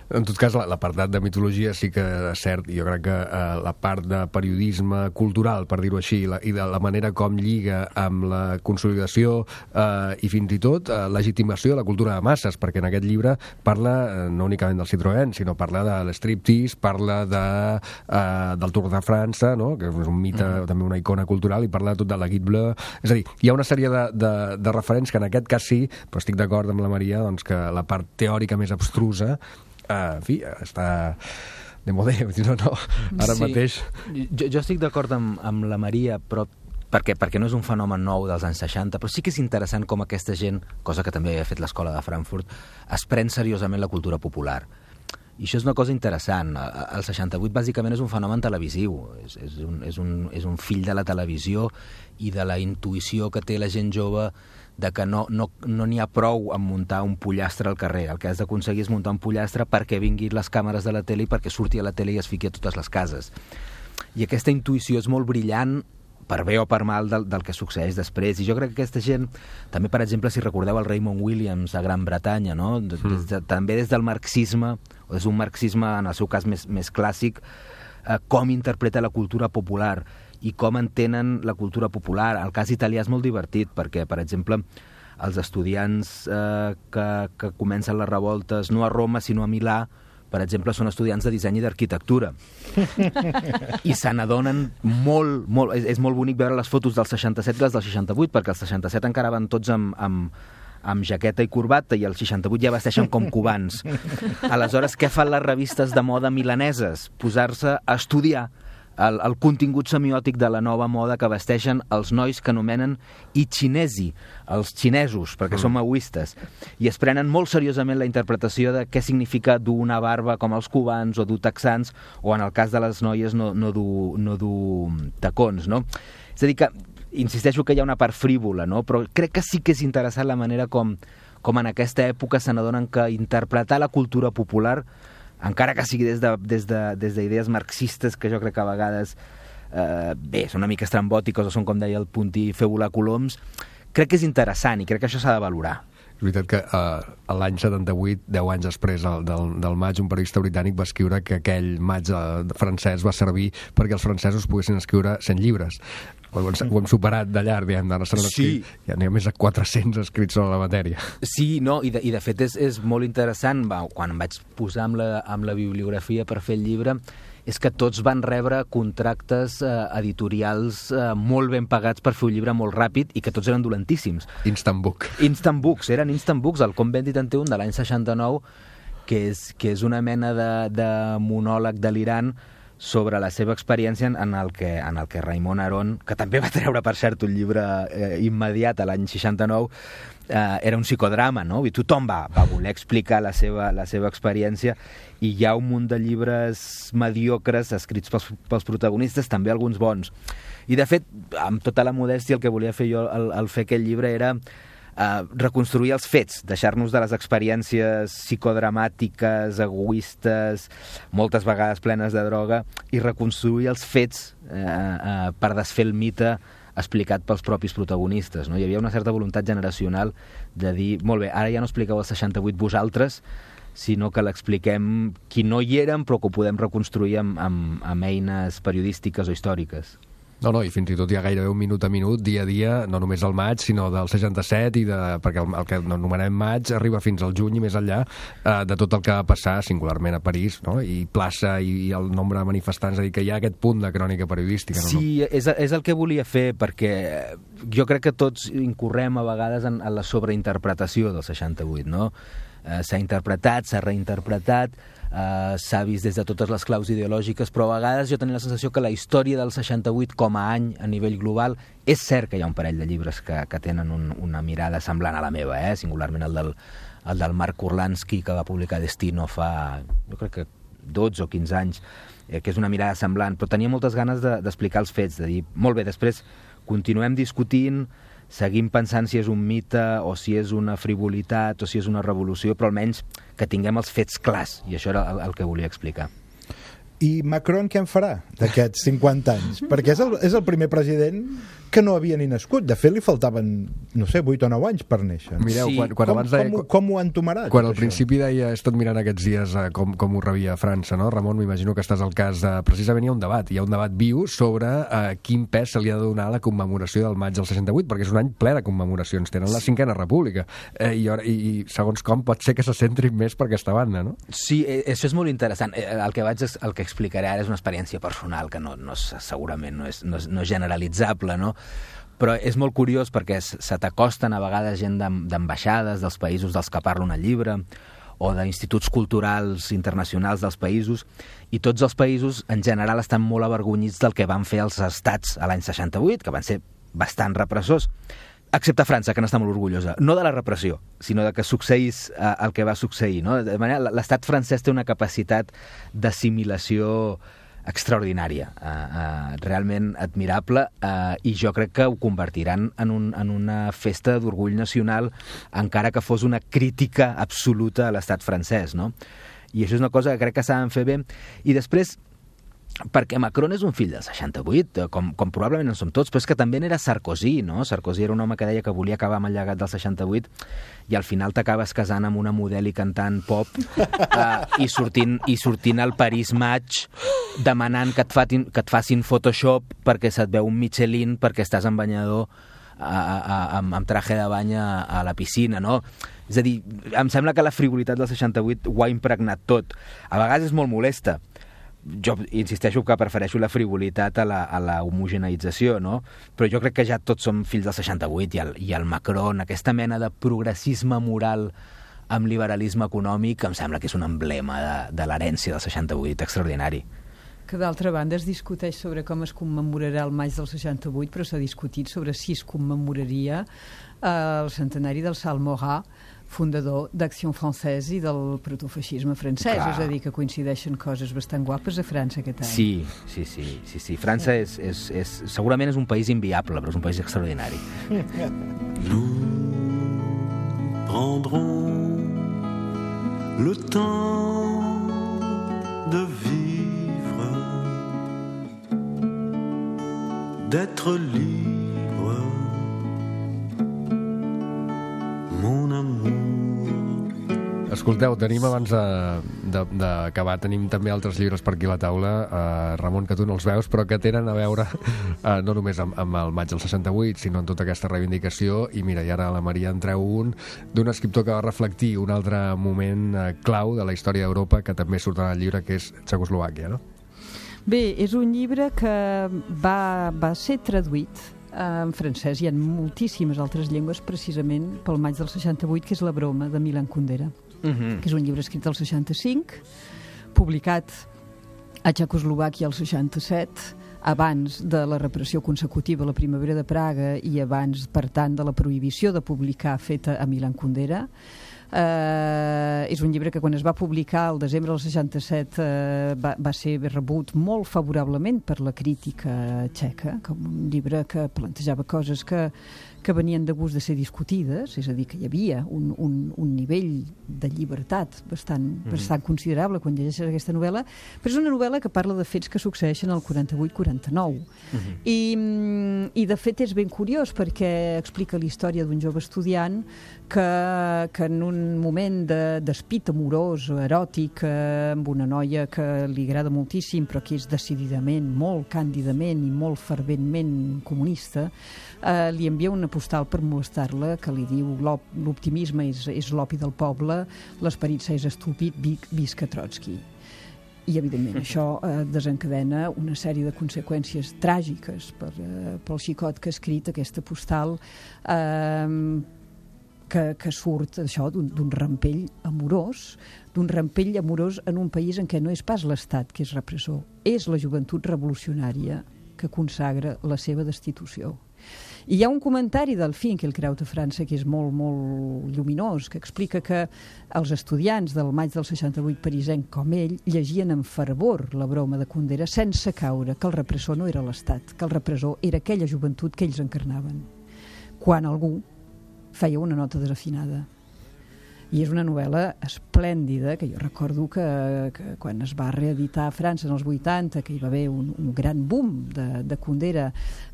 A: En tot cas, l'apartat de mitologia sí que és cert. Jo crec que eh, la part de periodisme cultural, per dir-ho així, la, i de la manera com lliga amb la consolidació eh, i fins i tot eh, legitimació de la cultura de masses, perquè en aquest llibre parla eh, no únicament del Citroën, sinó parla de l'striptease, parla de, eh, del Tour de França, no? Que és un mite, mm. també una icona cultural, i parla tot de la Guide Bleue. És a dir, hi ha una sèrie de, de, de referents que en aquest cas sí, però estic d'acord amb la Maria, doncs, que la part teòrica més abstrusa, Uh, en fi, està de modé, no, no, ara
D: sí,
A: mateix...
D: Jo, jo estic d'acord amb, amb la Maria, però perquè, perquè no és un fenomen nou dels anys seixanta, però sí que és interessant com aquesta gent, cosa que també havia fet l'escola de Frankfurt, es pren seriosament la cultura popular. I això és una cosa interessant. El seixanta-vuit bàsicament és un fenomen televisiu, és, és, un, és, un, és un fill de la televisió i de la intuïció que té la gent jove de que no no, no n'hi ha prou en muntar un pollastre al carrer. El que has d'aconseguir és muntar un pollastre perquè vinguin les càmeres de la tele i perquè surti a la tele i es fiqui a totes les cases. I aquesta intuïció és molt brillant, per bé o per mal, del, del que succeeix després. I jo crec que aquesta gent, també, per exemple, si recordeu el Raymond Williams a Gran Bretanya, no? Des de, també des del marxisme, o des d'un marxisme, en el seu cas més, més clàssic, eh, com interpreta la cultura popular i com entenen la cultura popular. El cas italià és molt divertit, perquè, per exemple, els estudiants eh, que, que comencen les revoltes no a Roma, sinó a Milà, per exemple, són estudiants de disseny i d'arquitectura. I se n'adonen molt, molt... És, és molt bonic veure les fotos del seixanta-set i les del seixanta-vuit, perquè el seixanta-set encara van tots amb, amb, amb jaqueta i corbata i el seixanta-vuit ja vesteixen com cubans. Aleshores, què fan les revistes de moda milaneses? Posar-se a estudiar el, el contingut semiòtic de la nova moda que vesteixen els nois que anomenen i xinesi, els xinesos, perquè mm. són maoistes, i es prenen molt seriosament la interpretació de què significa dur una barba com els cubans o dur texans, o en el cas de les noies no, no, dur, no dur tacons, no? És a dir que, insisteixo que hi ha una part frívola, no? Però crec que sí que és interessant la manera com, com en aquesta època se n'adonen que interpretar la cultura popular, encara que sigui des de, des de, des d'idees marxistes, que jo crec que a vegades eh, bé, són una mica estrambòtiques o són, com deia el Puntí, fer volar coloms, crec que és interessant i crec que això s'ha de valorar.
A: És veritat que uh, l'any setanta-vuit, deu anys després del, del, del maig, un periodista britànic va escriure que aquell maig uh, francès va servir perquè els francesos poguessin escriure cent llibres. Ho hem, ho hem superat de llarg, diguem, d'ara s'han escrit, sí. Ja n'hi ha més de quatre-cents escrits sobre la matèria.
D: Sí, no, i de, i de fet és, és molt interessant, va, quan em vaig posar amb la, amb la bibliografia per fer el llibre, és que tots van rebre contractes eh, editorials eh, molt ben pagats per fer un llibre molt ràpid i que tots eren dolentíssims.
A: Instant book.
D: Instant books, eren instant books. El Com Bendit en té un de l'any seixanta-nou, que és, que és una mena de, de monòleg delirant sobre la seva experiència en el que, en el que Raimon Aron, que també va treure, per cert, un llibre eh, immediat a l'any seixanta-nou, eh, era un psicodrama, no? I tothom va, va voler explicar la seva, la seva experiència, i hi ha un munt de llibres mediocres escrits pels, pels protagonistes, també alguns bons. I, de fet, amb tota la modèstia, el que volia fer jo al, al fer aquest llibre era Uh, reconstruir els fets, deixar-nos de les experiències psicodramàtiques, egoistes, moltes vegades plenes de droga, i reconstruir els fets uh, uh, per desfer el mite explicat pels propis protagonistes, no? Hi havia una certa voluntat generacional de dir, molt bé, ara ja no expliqueu el seixanta-vuit vosaltres, sinó que l'expliquem qui no hi érem, però que ho podem reconstruir amb, amb, amb eines periodístiques o històriques.
A: No, no, i fins i tot hi ha gairebé un minut a minut, dia a dia, no només del maig, sinó del seixanta-set, i de, perquè el, el que anomenem maig arriba fins al juny i més enllà, eh, de tot el que va passar, singularment a París, no? I plaça i, i el nombre de manifestants, és a dir, que hi ha aquest punt de crònica periodística. No?
D: Sí, és, és el que volia fer, perquè jo crec que tots incorrem a vegades en, en la sobreinterpretació del seixanta-vuit, no? Eh, s'ha interpretat, s'ha reinterpretat, Uh, s'ha vist des de totes les claus ideològiques, però a vegades jo tenia la sensació que la història del seixanta-vuit com a any a nivell global, és cert que hi ha un parell de llibres que, que tenen un, una mirada semblant a la meva, eh? Singularment el del, el del Marc Kurlansky, que va publicar Destino fa, jo crec que dotze o quinze anys, eh, que és una mirada semblant, però tenia moltes ganes de, d'explicar els fets, de dir, molt bé, després continuem discutint, seguim pensant si és un mite o si és una frivolitat o si és una revolució, però almenys que tinguem els fets clars, i això era el, el que volia explicar.
J: I Macron què en farà d'aquests cinquanta anys? Perquè és el, és el primer president que no havia ni nascut. De fet, li faltaven, no sé, vuit o nou anys per néixer.
A: Mireu,
J: sí.
A: quan, quan
J: com,
A: abans deia...
J: Com, com ho han tomarat?
A: Quan al principi deia, he estat mirant aquests dies eh, com, com ho rebia a França, no? Ramon, m'imagino que estàs al cas de... Precisament hi ha un debat, hi ha un debat viu sobre eh, quin pes se li ha de donar a la commemoració del maig del seixanta-vuit, perquè és un any ple de commemoracions. Tenen la cinquena república. Eh, i, i, I segons com pot ser que se centrin més per aquesta banda, no?
D: Sí, això és molt interessant. El que, vaig, el que explicaré ara és una experiència personal que no, no és, segurament no és, no és, no és generalitzable, no? Però és molt curiós perquè se t'acosten a vegades gent d'ambaixades dels països dels que parla un llibre, o d'instituts culturals internacionals dels països, i tots els països en general estan molt avergonyits del que van fer els estats a l'any seixanta-vuit, que van ser bastant repressors, excepte França, que n'està molt orgullosa. No de la repressió, sinó de que succeís eh, el que va succeir. No? De manera, l'estat francès té una capacitat d'assimilació extraordinària, eh, eh, realment admirable, eh, i jo crec que ho convertiran en, un, en una festa d'orgull nacional, encara que fos una crítica absoluta a l'estat francès, no? I això és una cosa que crec que saben fer bé. I després, perquè Macron és un fill del seixanta-vuit, com, com probablement en som tots, però és que també n'era Sarkozy, no? Sarkozy era un home que deia que volia acabar amb el llegat del seixanta-vuit i al final t'acabes casant amb una model i cantant pop uh, i, sortint, i sortint al Paris Match demanant que et, fatin, que et facin Photoshop perquè se't veu un Michelin perquè estàs en banyador a, a, a, amb, amb traje de bany a, a la piscina, no? És a dir, em sembla que la frivolitat del seixanta-vuit ho ha impregnat tot. A vegades és molt molesta. Jo insisteixo que prefereixo la frivolitat a la, a la homogeneïtzació, no? Però jo crec que ja tots som fills del seixanta-vuit i el, i el Macron, aquesta mena de progressisme moral amb liberalisme econòmic, em sembla que és un emblema de, de l'herència del seixanta-vuit extraordinari.
I: Que d'altra banda es discuteix sobre com es commemorarà el maig del seixanta-vuit, però s'ha discutit sobre si es commemoraria eh, el centenari del Salmorat, fundador d'Acció Francesa i del protofeixisme francès. Clar. És a dir, que coincideixen coses bastant guapes a França aquest any.
D: Sí, sí, sí. sí, sí. França és, és, és, segurament és un país inviable, però és un país extraordinari.
K: Nous prendrons le temps de vivre, d'être libre, mon amour.
A: Escolteu, tenim abans d'acabar, tenim també altres llibres per aquí a la taula, eh, Ramon, que tu no els veus, però que tenen a veure eh, no només amb, amb el maig del seixanta-vuit, sinó en tota aquesta reivindicació. I mira, i ara a la Maria en treu un d'un escriptor que va reflectir un altre moment eh, clau de la història d'Europa, que també surt en el llibre, que és Txecoslovàquia, no?
I: Bé, és un llibre que va, va ser traduït en francès i en moltíssimes altres llengües precisament pel maig del seixanta-vuit, que és La broma, de Milan Kundera. Uh-huh. Que és un llibre escrit al seixanta-cinc, publicat a Txecoslovàquia al seixanta-set, abans de la repressió consecutiva a la primavera de Praga i abans, per tant, de la prohibició de publicar feta a Milan Kundera. Uh, és un llibre que quan es va publicar el desembre del seixanta-set uh, va, va ser rebut molt favorablement per la crítica txeca, com un llibre que plantejava coses que, que venien de gust de ser discutides, és a dir, que hi havia un, un, un nivell de llibertat bastant, mm. bastant considerable quan llegeixes aquesta novel·la, però és una novel·la que parla de fets que succeeixen al quaranta-vuit quaranta-nou. Mm-hmm. I, i de fet és ben curiós perquè explica la història d'un jove estudiant que, que en un moment de despit amorós, eròtic, eh, amb una noia que li agrada moltíssim, però que és decididament, molt càndidament i molt ferventment comunista, eh, li envia una postal per molestar-la que li diu l'optimisme és, és l'opi del poble, l'esperit s'és estúpid, visca Trotsky. I, evidentment, això eh, desencadena una sèrie de conseqüències tràgiques per, eh, pel xicot que ha escrit aquesta postal, eh, que, que surt això d'un rampell amorós, d'un rampell amorós en un país en què no és pas l'Estat que és repressor, és la joventut revolucionària que consagra la seva destitució. I hi ha un comentari del Finkielkraut a França que és molt, molt lluminós, que explica que els estudiants del maig del seixanta-vuit parisenc com ell llegien amb fervor La broma de Kundera sense caure que el repressor no era l'Estat, que el repressor era aquella joventut que ells encarnaven. Quan algú feia una nota desafinada. I és una novel·la esplèndida, que jo recordo que, que quan es va reeditar a França en els vuitanta, que hi va haver un, un gran boom de, de Kundera,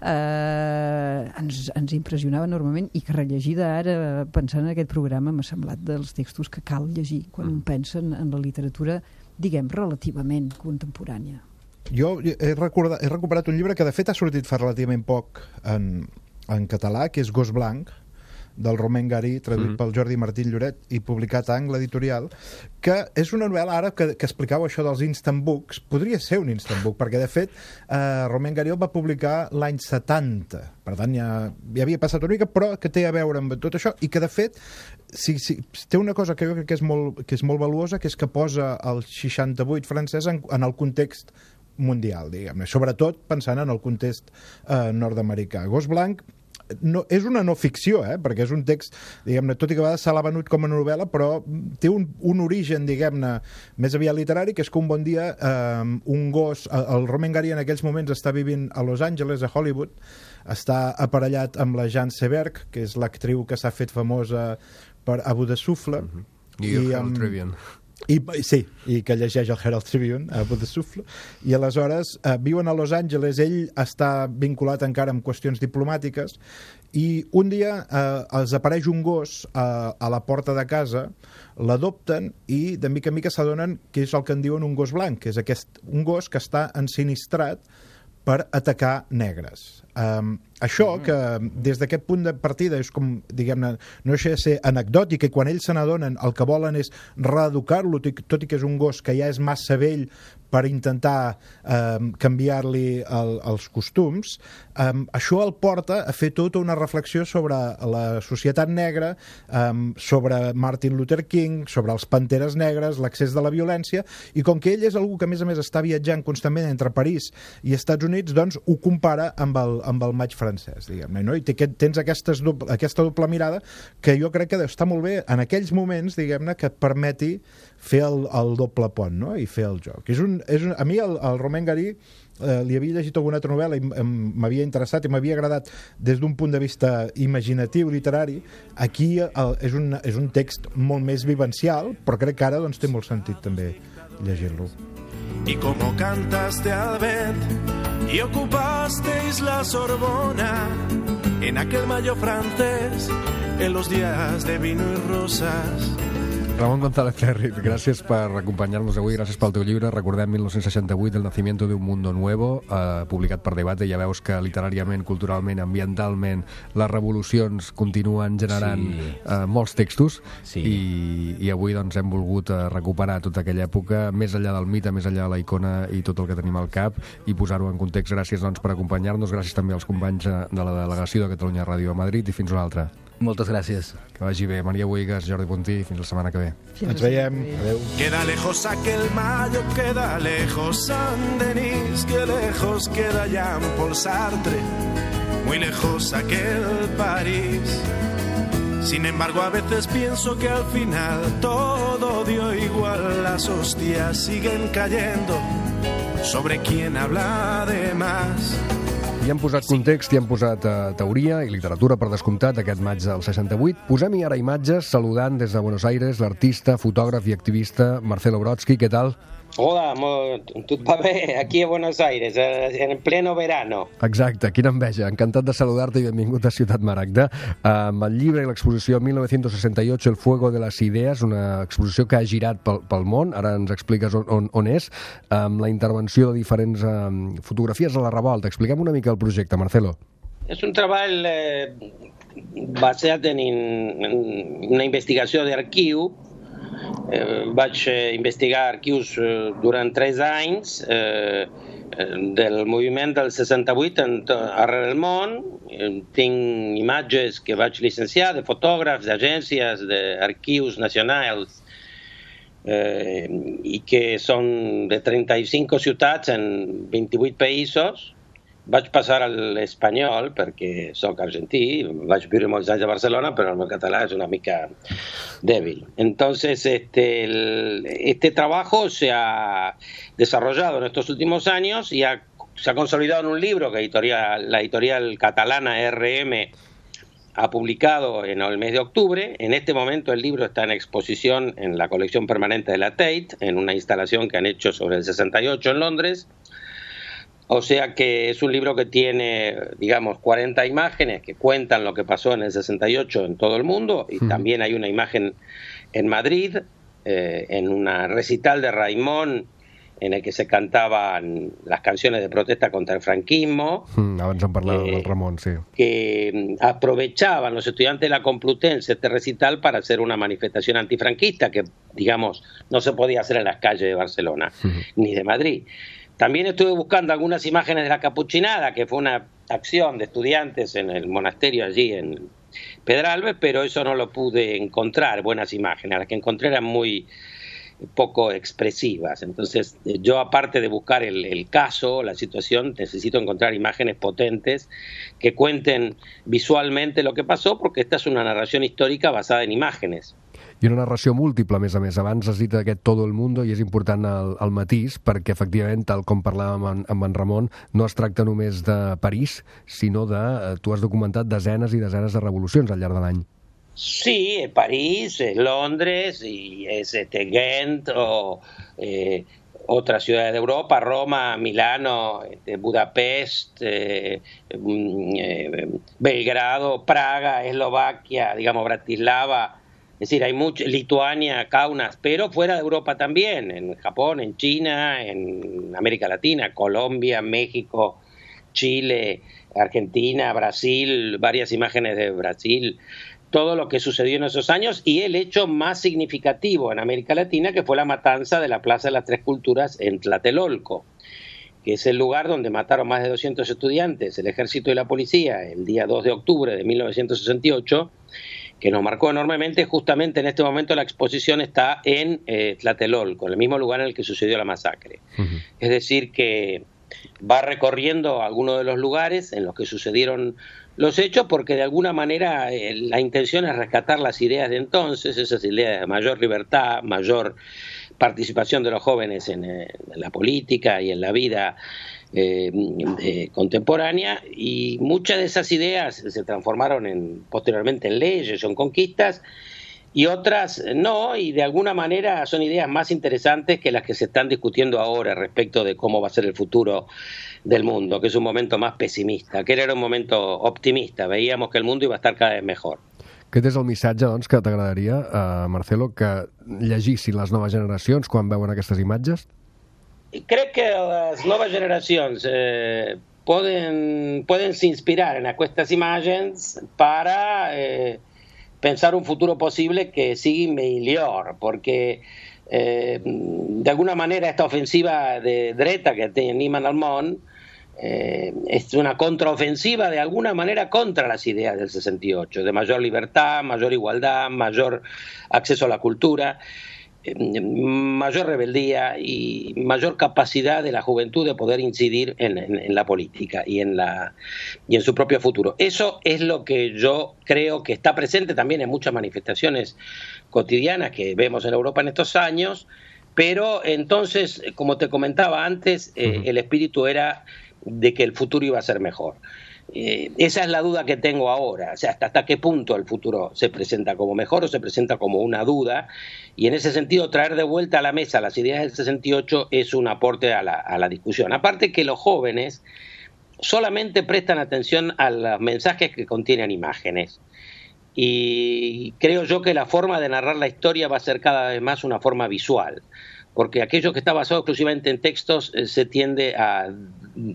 I: eh, ens, ens impressionava enormement, i que rellegida ara, pensant en aquest programa, m'ha semblat dels textos que cal llegir quan un pensa en, en la literatura, diguem, relativament contemporània.
J: Jo he, recordat, he recuperat un llibre que de fet ha sortit fa relativament poc en, en català, que és Gos Blanc, del Romain Gary, traduït mm. pel Jordi Martí Lloret i publicat a Angle Editorial, que és una novel·la, ara que, que explicava això dels instant books, podria ser un instant book, perquè de fet eh, Romain Gary el va publicar l'any setanta, per tant ja, ja havia passat una mica, però que té a veure amb tot això, i que de fet si, si, té una cosa que jo crec que és molt, que és molt valuosa, que és que posa el seixanta-vuit francès en, en el context mundial, diguem-ne, sobretot pensant en el context eh, nord-americà. Gos Blanc no, és una no ficció, eh? Perquè és un text, diguem-ne, tot i que a vegades se l'ha venut com a novel·la, però té un, un origen, diguem-ne, més aviat literari, que és que un bon dia eh, un gos, el Romain Gary en aquells moments està vivint a Los Angeles, a Hollywood, està aparellat amb la Jeanne Seberg, que és l'actriu que s'ha fet famosa per Abu de Souffle,
A: uh-huh. i el Herald Tribune.
J: I, sí, i que llegeix el Herald Tribune a Abu de Souffle, i aleshores eh, viuen a Los Angeles, ell està vinculat encara amb qüestions diplomàtiques, i un dia eh, els apareix un gos eh, a la porta de casa, l'adopten i de mica en mica s'adonen que és el que en diuen un gos blanc, que és aquest, un gos que està ensinistrat per atacar negres. Um, això, que des d'aquest punt de partida és com, diguem-ne, no deixa de ser anecdòtic, i quan ells se n'adonen el que volen és reeducar-lo, tot i que és un gos que ja és massa vell per intentar um, canviar-li el, els costums, um, això el porta a fer tota una reflexió sobre la societat negra, um, sobre Martin Luther King, sobre els panteres negres, l'accés de la violència, i com que ell és algú que a més a més està viatjant constantment entre París i Estats Units, doncs ho compara amb el, amb el maig francès, diguem-ne, no? I tens aquestes doble, aquesta doble mirada que jo crec que està molt bé en aquells moments, diguem-ne, que et permeti fer el, el doble pont, no? I fer el joc. És un, és un, a mi el, el Romain Gary eh, li havia llegit alguna altra novel·la i m'havia interessat i m'havia agradat des d'un punt de vista imaginatiu, literari. Aquí el, és, un, és un text molt més vivencial, però crec que ara doncs, té molt sentit també llegir-lo.
L: Y como cantaste al vent y ocupasteis la Sorbona en aquel mayo francés, en los días de vino y rosas.
A: Ramon González Ferrit, gràcies per acompanyar-nos avui, gràcies pel teu llibre. Recordem mil nou-cents seixanta-vuit, El nacimiento de un mundo nuevo, eh, publicat per Debate. Ja veus que literàriament, culturalment, ambientalment, les revolucions continuen generant sí. eh, molts textos, sí. i, i avui doncs, hem volgut eh, recuperar tota aquella època, més enllà del mite, més enllà de la icona i tot el que tenim al cap, i posar-ho en context. Gràcies doncs, per acompanyar-nos, gràcies també als companys de la delegació de Catalunya Ràdio a Madrid, i fins una altra.
D: Moltes gràcies.
A: Que vagi bé. Maria Bohigas, Jordi Puntí, fins la setmana que ve.
J: Ens veiem. Adéu.
L: Queda lejos aquel mayo, queda lejos Saint-Denis, que lejos queda Jean-Paul Sartre, muy lejos aquel París. Sin embargo, a veces pienso que al final todo dio igual, las hostias siguen cayendo sobre quien habla de más.
A: I hem posat context, i hem posat uh, teoria i literatura, per descomptat, aquest maig del seixanta-vuit. Posem-hi ara imatges, saludant des de Buenos Aires l'artista, fotògraf i activista Marcelo Brodsky. Què tal?
M: Hola, tot va bé, aquí a Buenos Aires, en pleno verano.
A: Exacte, quina enveja. Encantat de saludar-te i benvingut a Ciutat Maragda. Amb el llibre i l'exposició mil nou-cents seixanta-vuit, El fuego de las ideas, una exposició que ha girat pel, pel món, ara ens expliques on, on, on és, amb la intervenció de diferents um, fotografies a la revolta. Expliquem una mica el projecte, Marcelo.
M: És un treball eh, basat en, en una investigació d'arxiu. Eh, vaig eh, investigar arxius eh, durant tres anys eh, del moviment del seixanta-vuit en, arreu del món. Eh, tinc imatges que vaig llicenciar de fotògrafs, d'agències, d'arxius nacionals eh, i que són de trenta-cinc ciutats en vint-i-vuit països. Vaig passar a l'espanyol perquè soc argentí, vaig viure molts anys a Barcelona, però el meu català és una mica débil. Entonces, este, el, este trabajo se ha desarrollado en estos últimos años y ha, se ha consolidado en un libro que editorial, la editorial catalana R M ha publicado en el mes de octubre. En este momento el libro está en exposición en la colección permanente de la Tate, en una instalación que han hecho sobre el sesenta y ocho en Londres. O sea que es un libro que tiene, digamos, cuarenta imágenes que cuentan lo que pasó en el sesenta y ocho en todo el mundo, y mm. también hay una imagen en Madrid, eh, en una recital de Raimón en el que se cantaban las canciones de protesta contra el franquismo.
A: Mm, abans en parlàvem
M: eh,
A: del Ramon, sí.
M: Que aprovechaban los estudiantes de la Complutense este recital para hacer una manifestación antifranquista que, digamos, no se podía hacer en las calles de Barcelona mm. ni de Madrid. También estuve buscando algunas imágenes de la Capuchinada, que fue una acción de estudiantes en el monasterio allí en Pedralbes, pero eso no lo pude encontrar, buenas imágenes. Las que encontré eran muy poco expresivas. Entonces, yo, aparte de buscar el, el caso, la situación, necesito encontrar imágenes potentes que cuenten visualmente lo que pasó, porque esta es una narración histórica basada en imágenes.
A: I una narració múltiple, a més a més. Abans has dit aquest Todo el mundo, i és important el, el matís, perquè, efectivament, tal com parlàvem amb en, amb en Ramon, no es tracta només de París, sinó de... Tu has documentat desenes i desenes de revolucions al llarg de l'any.
M: Sí, es París, es Londres, y es este, Ghent, o eh, otras ciudades de Europa, Roma, Milano, este, Budapest, eh, eh, Belgrado, Praga, Eslovaquia, digamos, Bratislava. Es decir, hay mucho, Lituania, Kaunas, pero fuera de Europa también, en Japón, en China, en América Latina, Colombia, México, Chile, Argentina, Brasil, varias imágenes de Brasil, todo lo que sucedió en esos años, y el hecho más significativo en América Latina, que fue la matanza de la Plaza de las Tres Culturas en Tlatelolco, que es el lugar donde mataron más de doscientos estudiantes, el ejército y la policía, el día dos de octubre de mil novecientos sesenta y ocho, que nos marcó enormemente. Justamente en este momento la exposición está en eh, Tlatelolco, en el mismo lugar en el que sucedió la masacre. Uh-huh. Es decir, que va recorriendo algunos de los lugares en los que sucedieron los hechos, porque de alguna manera eh, la intención es rescatar las ideas de entonces, esas ideas de mayor libertad, mayor participación de los jóvenes en, en la política y en la vida eh, eh, contemporánea, y muchas de esas ideas se transformaron en, posteriormente en leyes o en conquistas, y otras no, y de alguna manera son ideas más interesantes que las que se están discutiendo ahora respecto de cómo va a ser el futuro del mundo, que es un momento más pesimista. Aquel era un momento optimista, veíamos que el mundo iba a estar cada vez mejor.
A: Aquest és el missatge, doncs, que t'agradaria, uh, Marcelo, que llegissin les noves generacions quan veuen aquestes imatges?
M: Crec que les noves generacions eh, poden, poden inspirar en aquestes imatges para eh, pensar un futuro posible que sigui millor, porque eh, de alguna manera esta ofensiva de dreta que tenim al món Eh, es una contraofensiva de alguna manera contra las ideas del sesenta y ocho, de mayor libertad, mayor igualdad, mayor acceso a la cultura, eh, mayor rebeldía y mayor capacidad de la juventud de poder incidir en, en, en la política y en, la, y en su propio futuro. Eso es lo que yo creo que está presente también en muchas manifestaciones cotidianas que vemos en Europa en estos años, pero entonces, como te comentaba antes, eh, el espíritu era de que el futuro iba a ser mejor. Eh, esa es la duda que tengo ahora, o sea, hasta, hasta qué punto el futuro se presenta como mejor o se presenta como una duda, y en ese sentido traer de vuelta a la mesa las ideas del sesenta y ocho es un aporte a la, a la discusión. Aparte que los jóvenes solamente prestan atención a los mensajes que contienen imágenes, y creo yo que la forma de narrar la historia va a ser cada vez más una forma visual, porque aquello que está basado exclusivamente en textos eh, se tiende a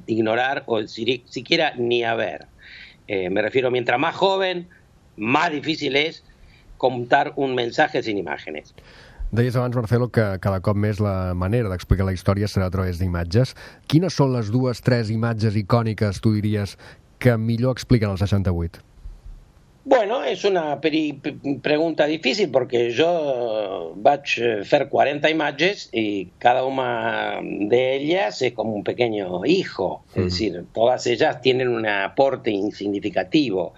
M: ignorar o si, siquiera ni a ver. Eh, me refiero, mientras más joven, más difícil es contar un mensaje sin imágenes.
A: Deies abans, Marcelo, que cada cop més la manera d'explicar la història serà a través d'imatges. Quines són les dues, tres imatges icòniques, tu diries, que millor expliquen el seixanta-vuit?
M: Bueno, es una pregunta difícil porque yo vaig fer cuarenta imágenes y cada una de ellas es como un pequeño hijo, es decir, todas ellas tienen un aporte significativo.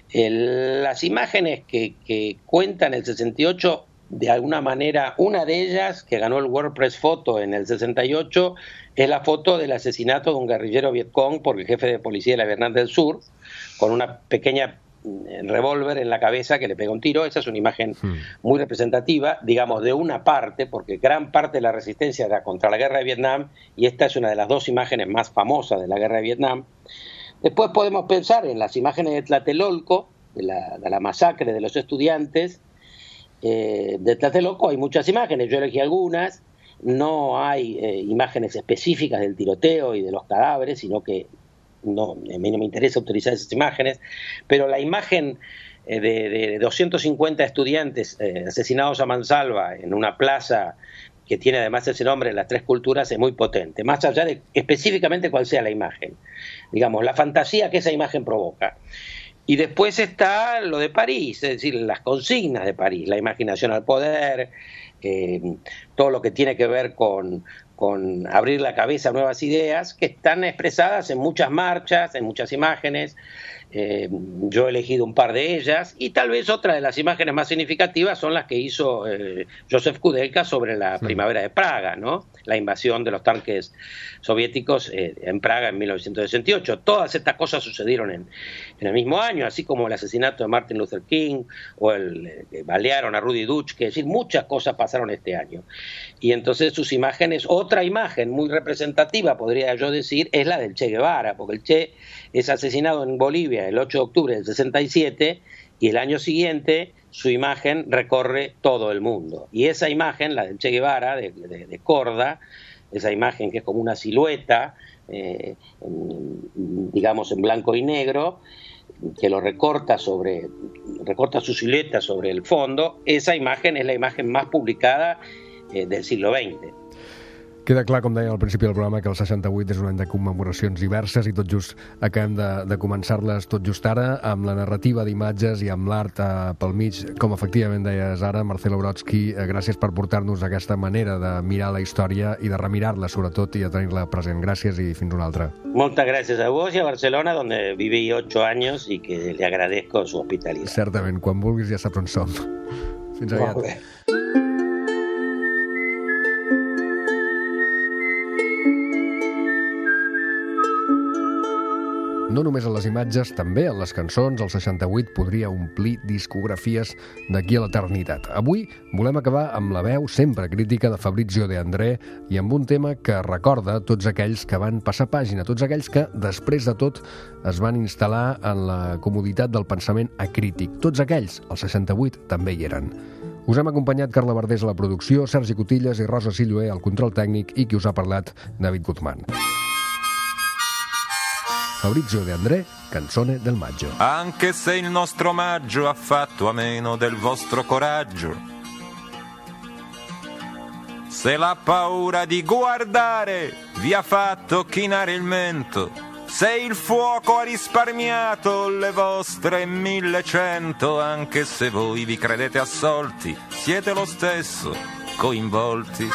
M: El, las imágenes que, que cuentan el sesenta y ocho, de alguna manera, una de ellas, que ganó el World Press Photo en el sesenta y ocho, es la foto del asesinato de un guerrillero Vietcong por el jefe de policía de la Vietnam del Sur, con una pequeña revólver en la cabeza que le pega un tiro. Esa es una imagen muy representativa, digamos, de una parte, porque gran parte de la resistencia era contra la guerra de Vietnam, y esta es una de las dos imágenes más famosas de la guerra de Vietnam. Después podemos pensar en las imágenes de Tlatelolco, de la, de la masacre de los estudiantes. Eh, de Tlatelolco hay muchas imágenes, yo elegí algunas. no hay eh, imágenes específicas del tiroteo y de los cadáveres, sino que no, a mí no me interesa utilizar esas imágenes, pero la imagen eh, de, de doscientos cincuenta estudiantes eh, asesinados a mansalva en una plaza que tiene además ese nombre en las tres culturas es muy potente, más allá de específicamente cuál sea la imagen, digamos, la fantasía que esa imagen provoca. Y después está lo de París, es decir, las consignas de París, la imaginación al poder, eh, todo lo que tiene que ver con, con abrir la cabeza a nuevas ideas, que están expresadas en muchas marchas, en muchas imágenes. Eh, yo he elegido un par de ellas, y tal vez otra de las imágenes más significativas son las que hizo eh, Joseph Kudelka sobre la sí. primavera de Praga, ¿no? La invasión de los tanques soviéticos eh, en Praga en mil novecientos sesenta y ocho. Todas estas cosas sucedieron en, en el mismo año, así como el asesinato de Martin Luther King o el eh, balearon a Rudy Dutschke, es decir, muchas cosas pasaron este año. Y entonces sus imágenes, otra imagen muy representativa, podría yo decir, es la del Che Guevara, porque el Che es asesinado en Bolivia el ocho de octubre del sesenta y siete, y el año siguiente su imagen recorre todo el mundo. Y esa imagen, la del Che Guevara, de, de, de Korda, esa imagen que es como una silueta, eh, en, digamos en blanco y negro, que lo recorta sobre, recorta su silueta sobre el fondo, esa imagen es la imagen más publicada eh, del siglo veinte.
A: Queda clar, com deia al principi del programa, que el seixanta-vuit és un any de commemoracions diverses i tot just acabem de, de començar-les tot just ara, amb la narrativa d'imatges i amb l'art eh, pel mig, com efectivament deies ara, Marcelo Brodsky, eh, gràcies per portar-nos aquesta manera de mirar la història i de remirar-la, sobretot, i de tenir-la present. Gràcies i fins una altra.
M: Moltes gràcies a vos i a Barcelona, donde viví ocho años y que le agradezco su hospitalidad.
A: Certament, quan vulguis ja saps on som. Fins aviat.
M: Molt bé.
A: No només en les imatges, també en les cançons, el seixanta-vuit podria omplir discografies d'aquí a l'eternitat. Avui volem acabar amb la veu sempre crítica de Fabrizio De André i amb un tema que recorda tots aquells que van passar pàgina, tots aquells que, després de tot, es van instal·lar en la comoditat del pensament acrític. Tots aquells, el seixanta-vuit, també hi eren. Us hem acompanyat Carla Verdés a la producció, Sergi Cotillas i Rosa Silloé al control tècnic, i qui us ha parlat, David Guzmán. Fabrizio De André, Canzone del Maggio.
N: Anche se il nostro maggio ha fatto a meno del vostro coraggio, se la paura di guardare vi ha fatto chinare il mento, se il fuoco ha risparmiato le vostre millecento, anche se voi vi credete assolti, siete lo stesso coinvolti.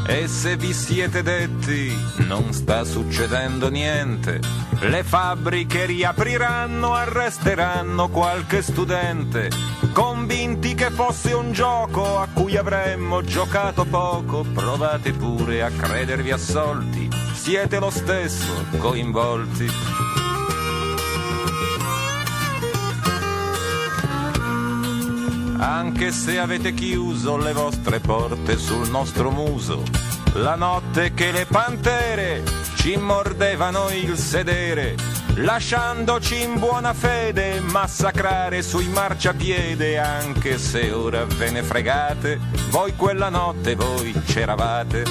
N: E se vi siete detti non sta succedendo niente, le fabbriche riapriranno, arresteranno qualche studente, convinti che fosse un gioco a cui avremmo giocato poco, provate pure a credervi assolti, siete lo stesso coinvolti. Anche se avete chiuso le vostre porte sul nostro muso, la notte che le pantere ci mordevano il sedere, lasciandoci in buona fede massacrare sui marciapiede, anche se ora ve ne fregate, voi quella notte voi c'eravate.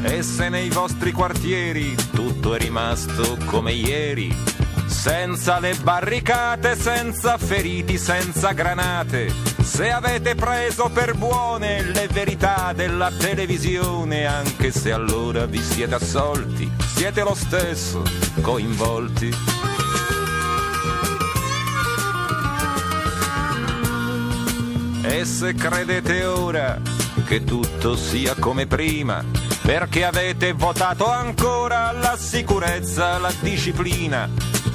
N: E se nei vostri quartieri tutto è rimasto come ieri, senza le barricate, senza feriti, senza granate, se avete preso per buone le verità della televisione, anche se allora vi siete assolti, siete lo stesso coinvolti. E se credete ora che tutto sia come prima, perché avete votato ancora la sicurezza, la disciplina,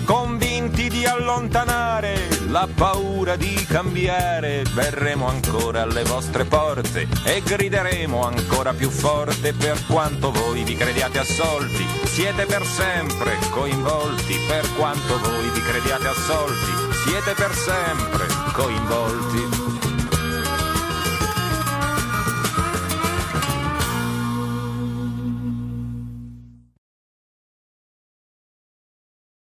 N: convinti di allontanare la paura di cambiare, verremo ancora alle vostre porte e grideremo ancora più forte, per quanto voi vi crediate assolti, siete per sempre coinvolti, per quanto voi vi crediate assolti, siete per sempre coinvolti.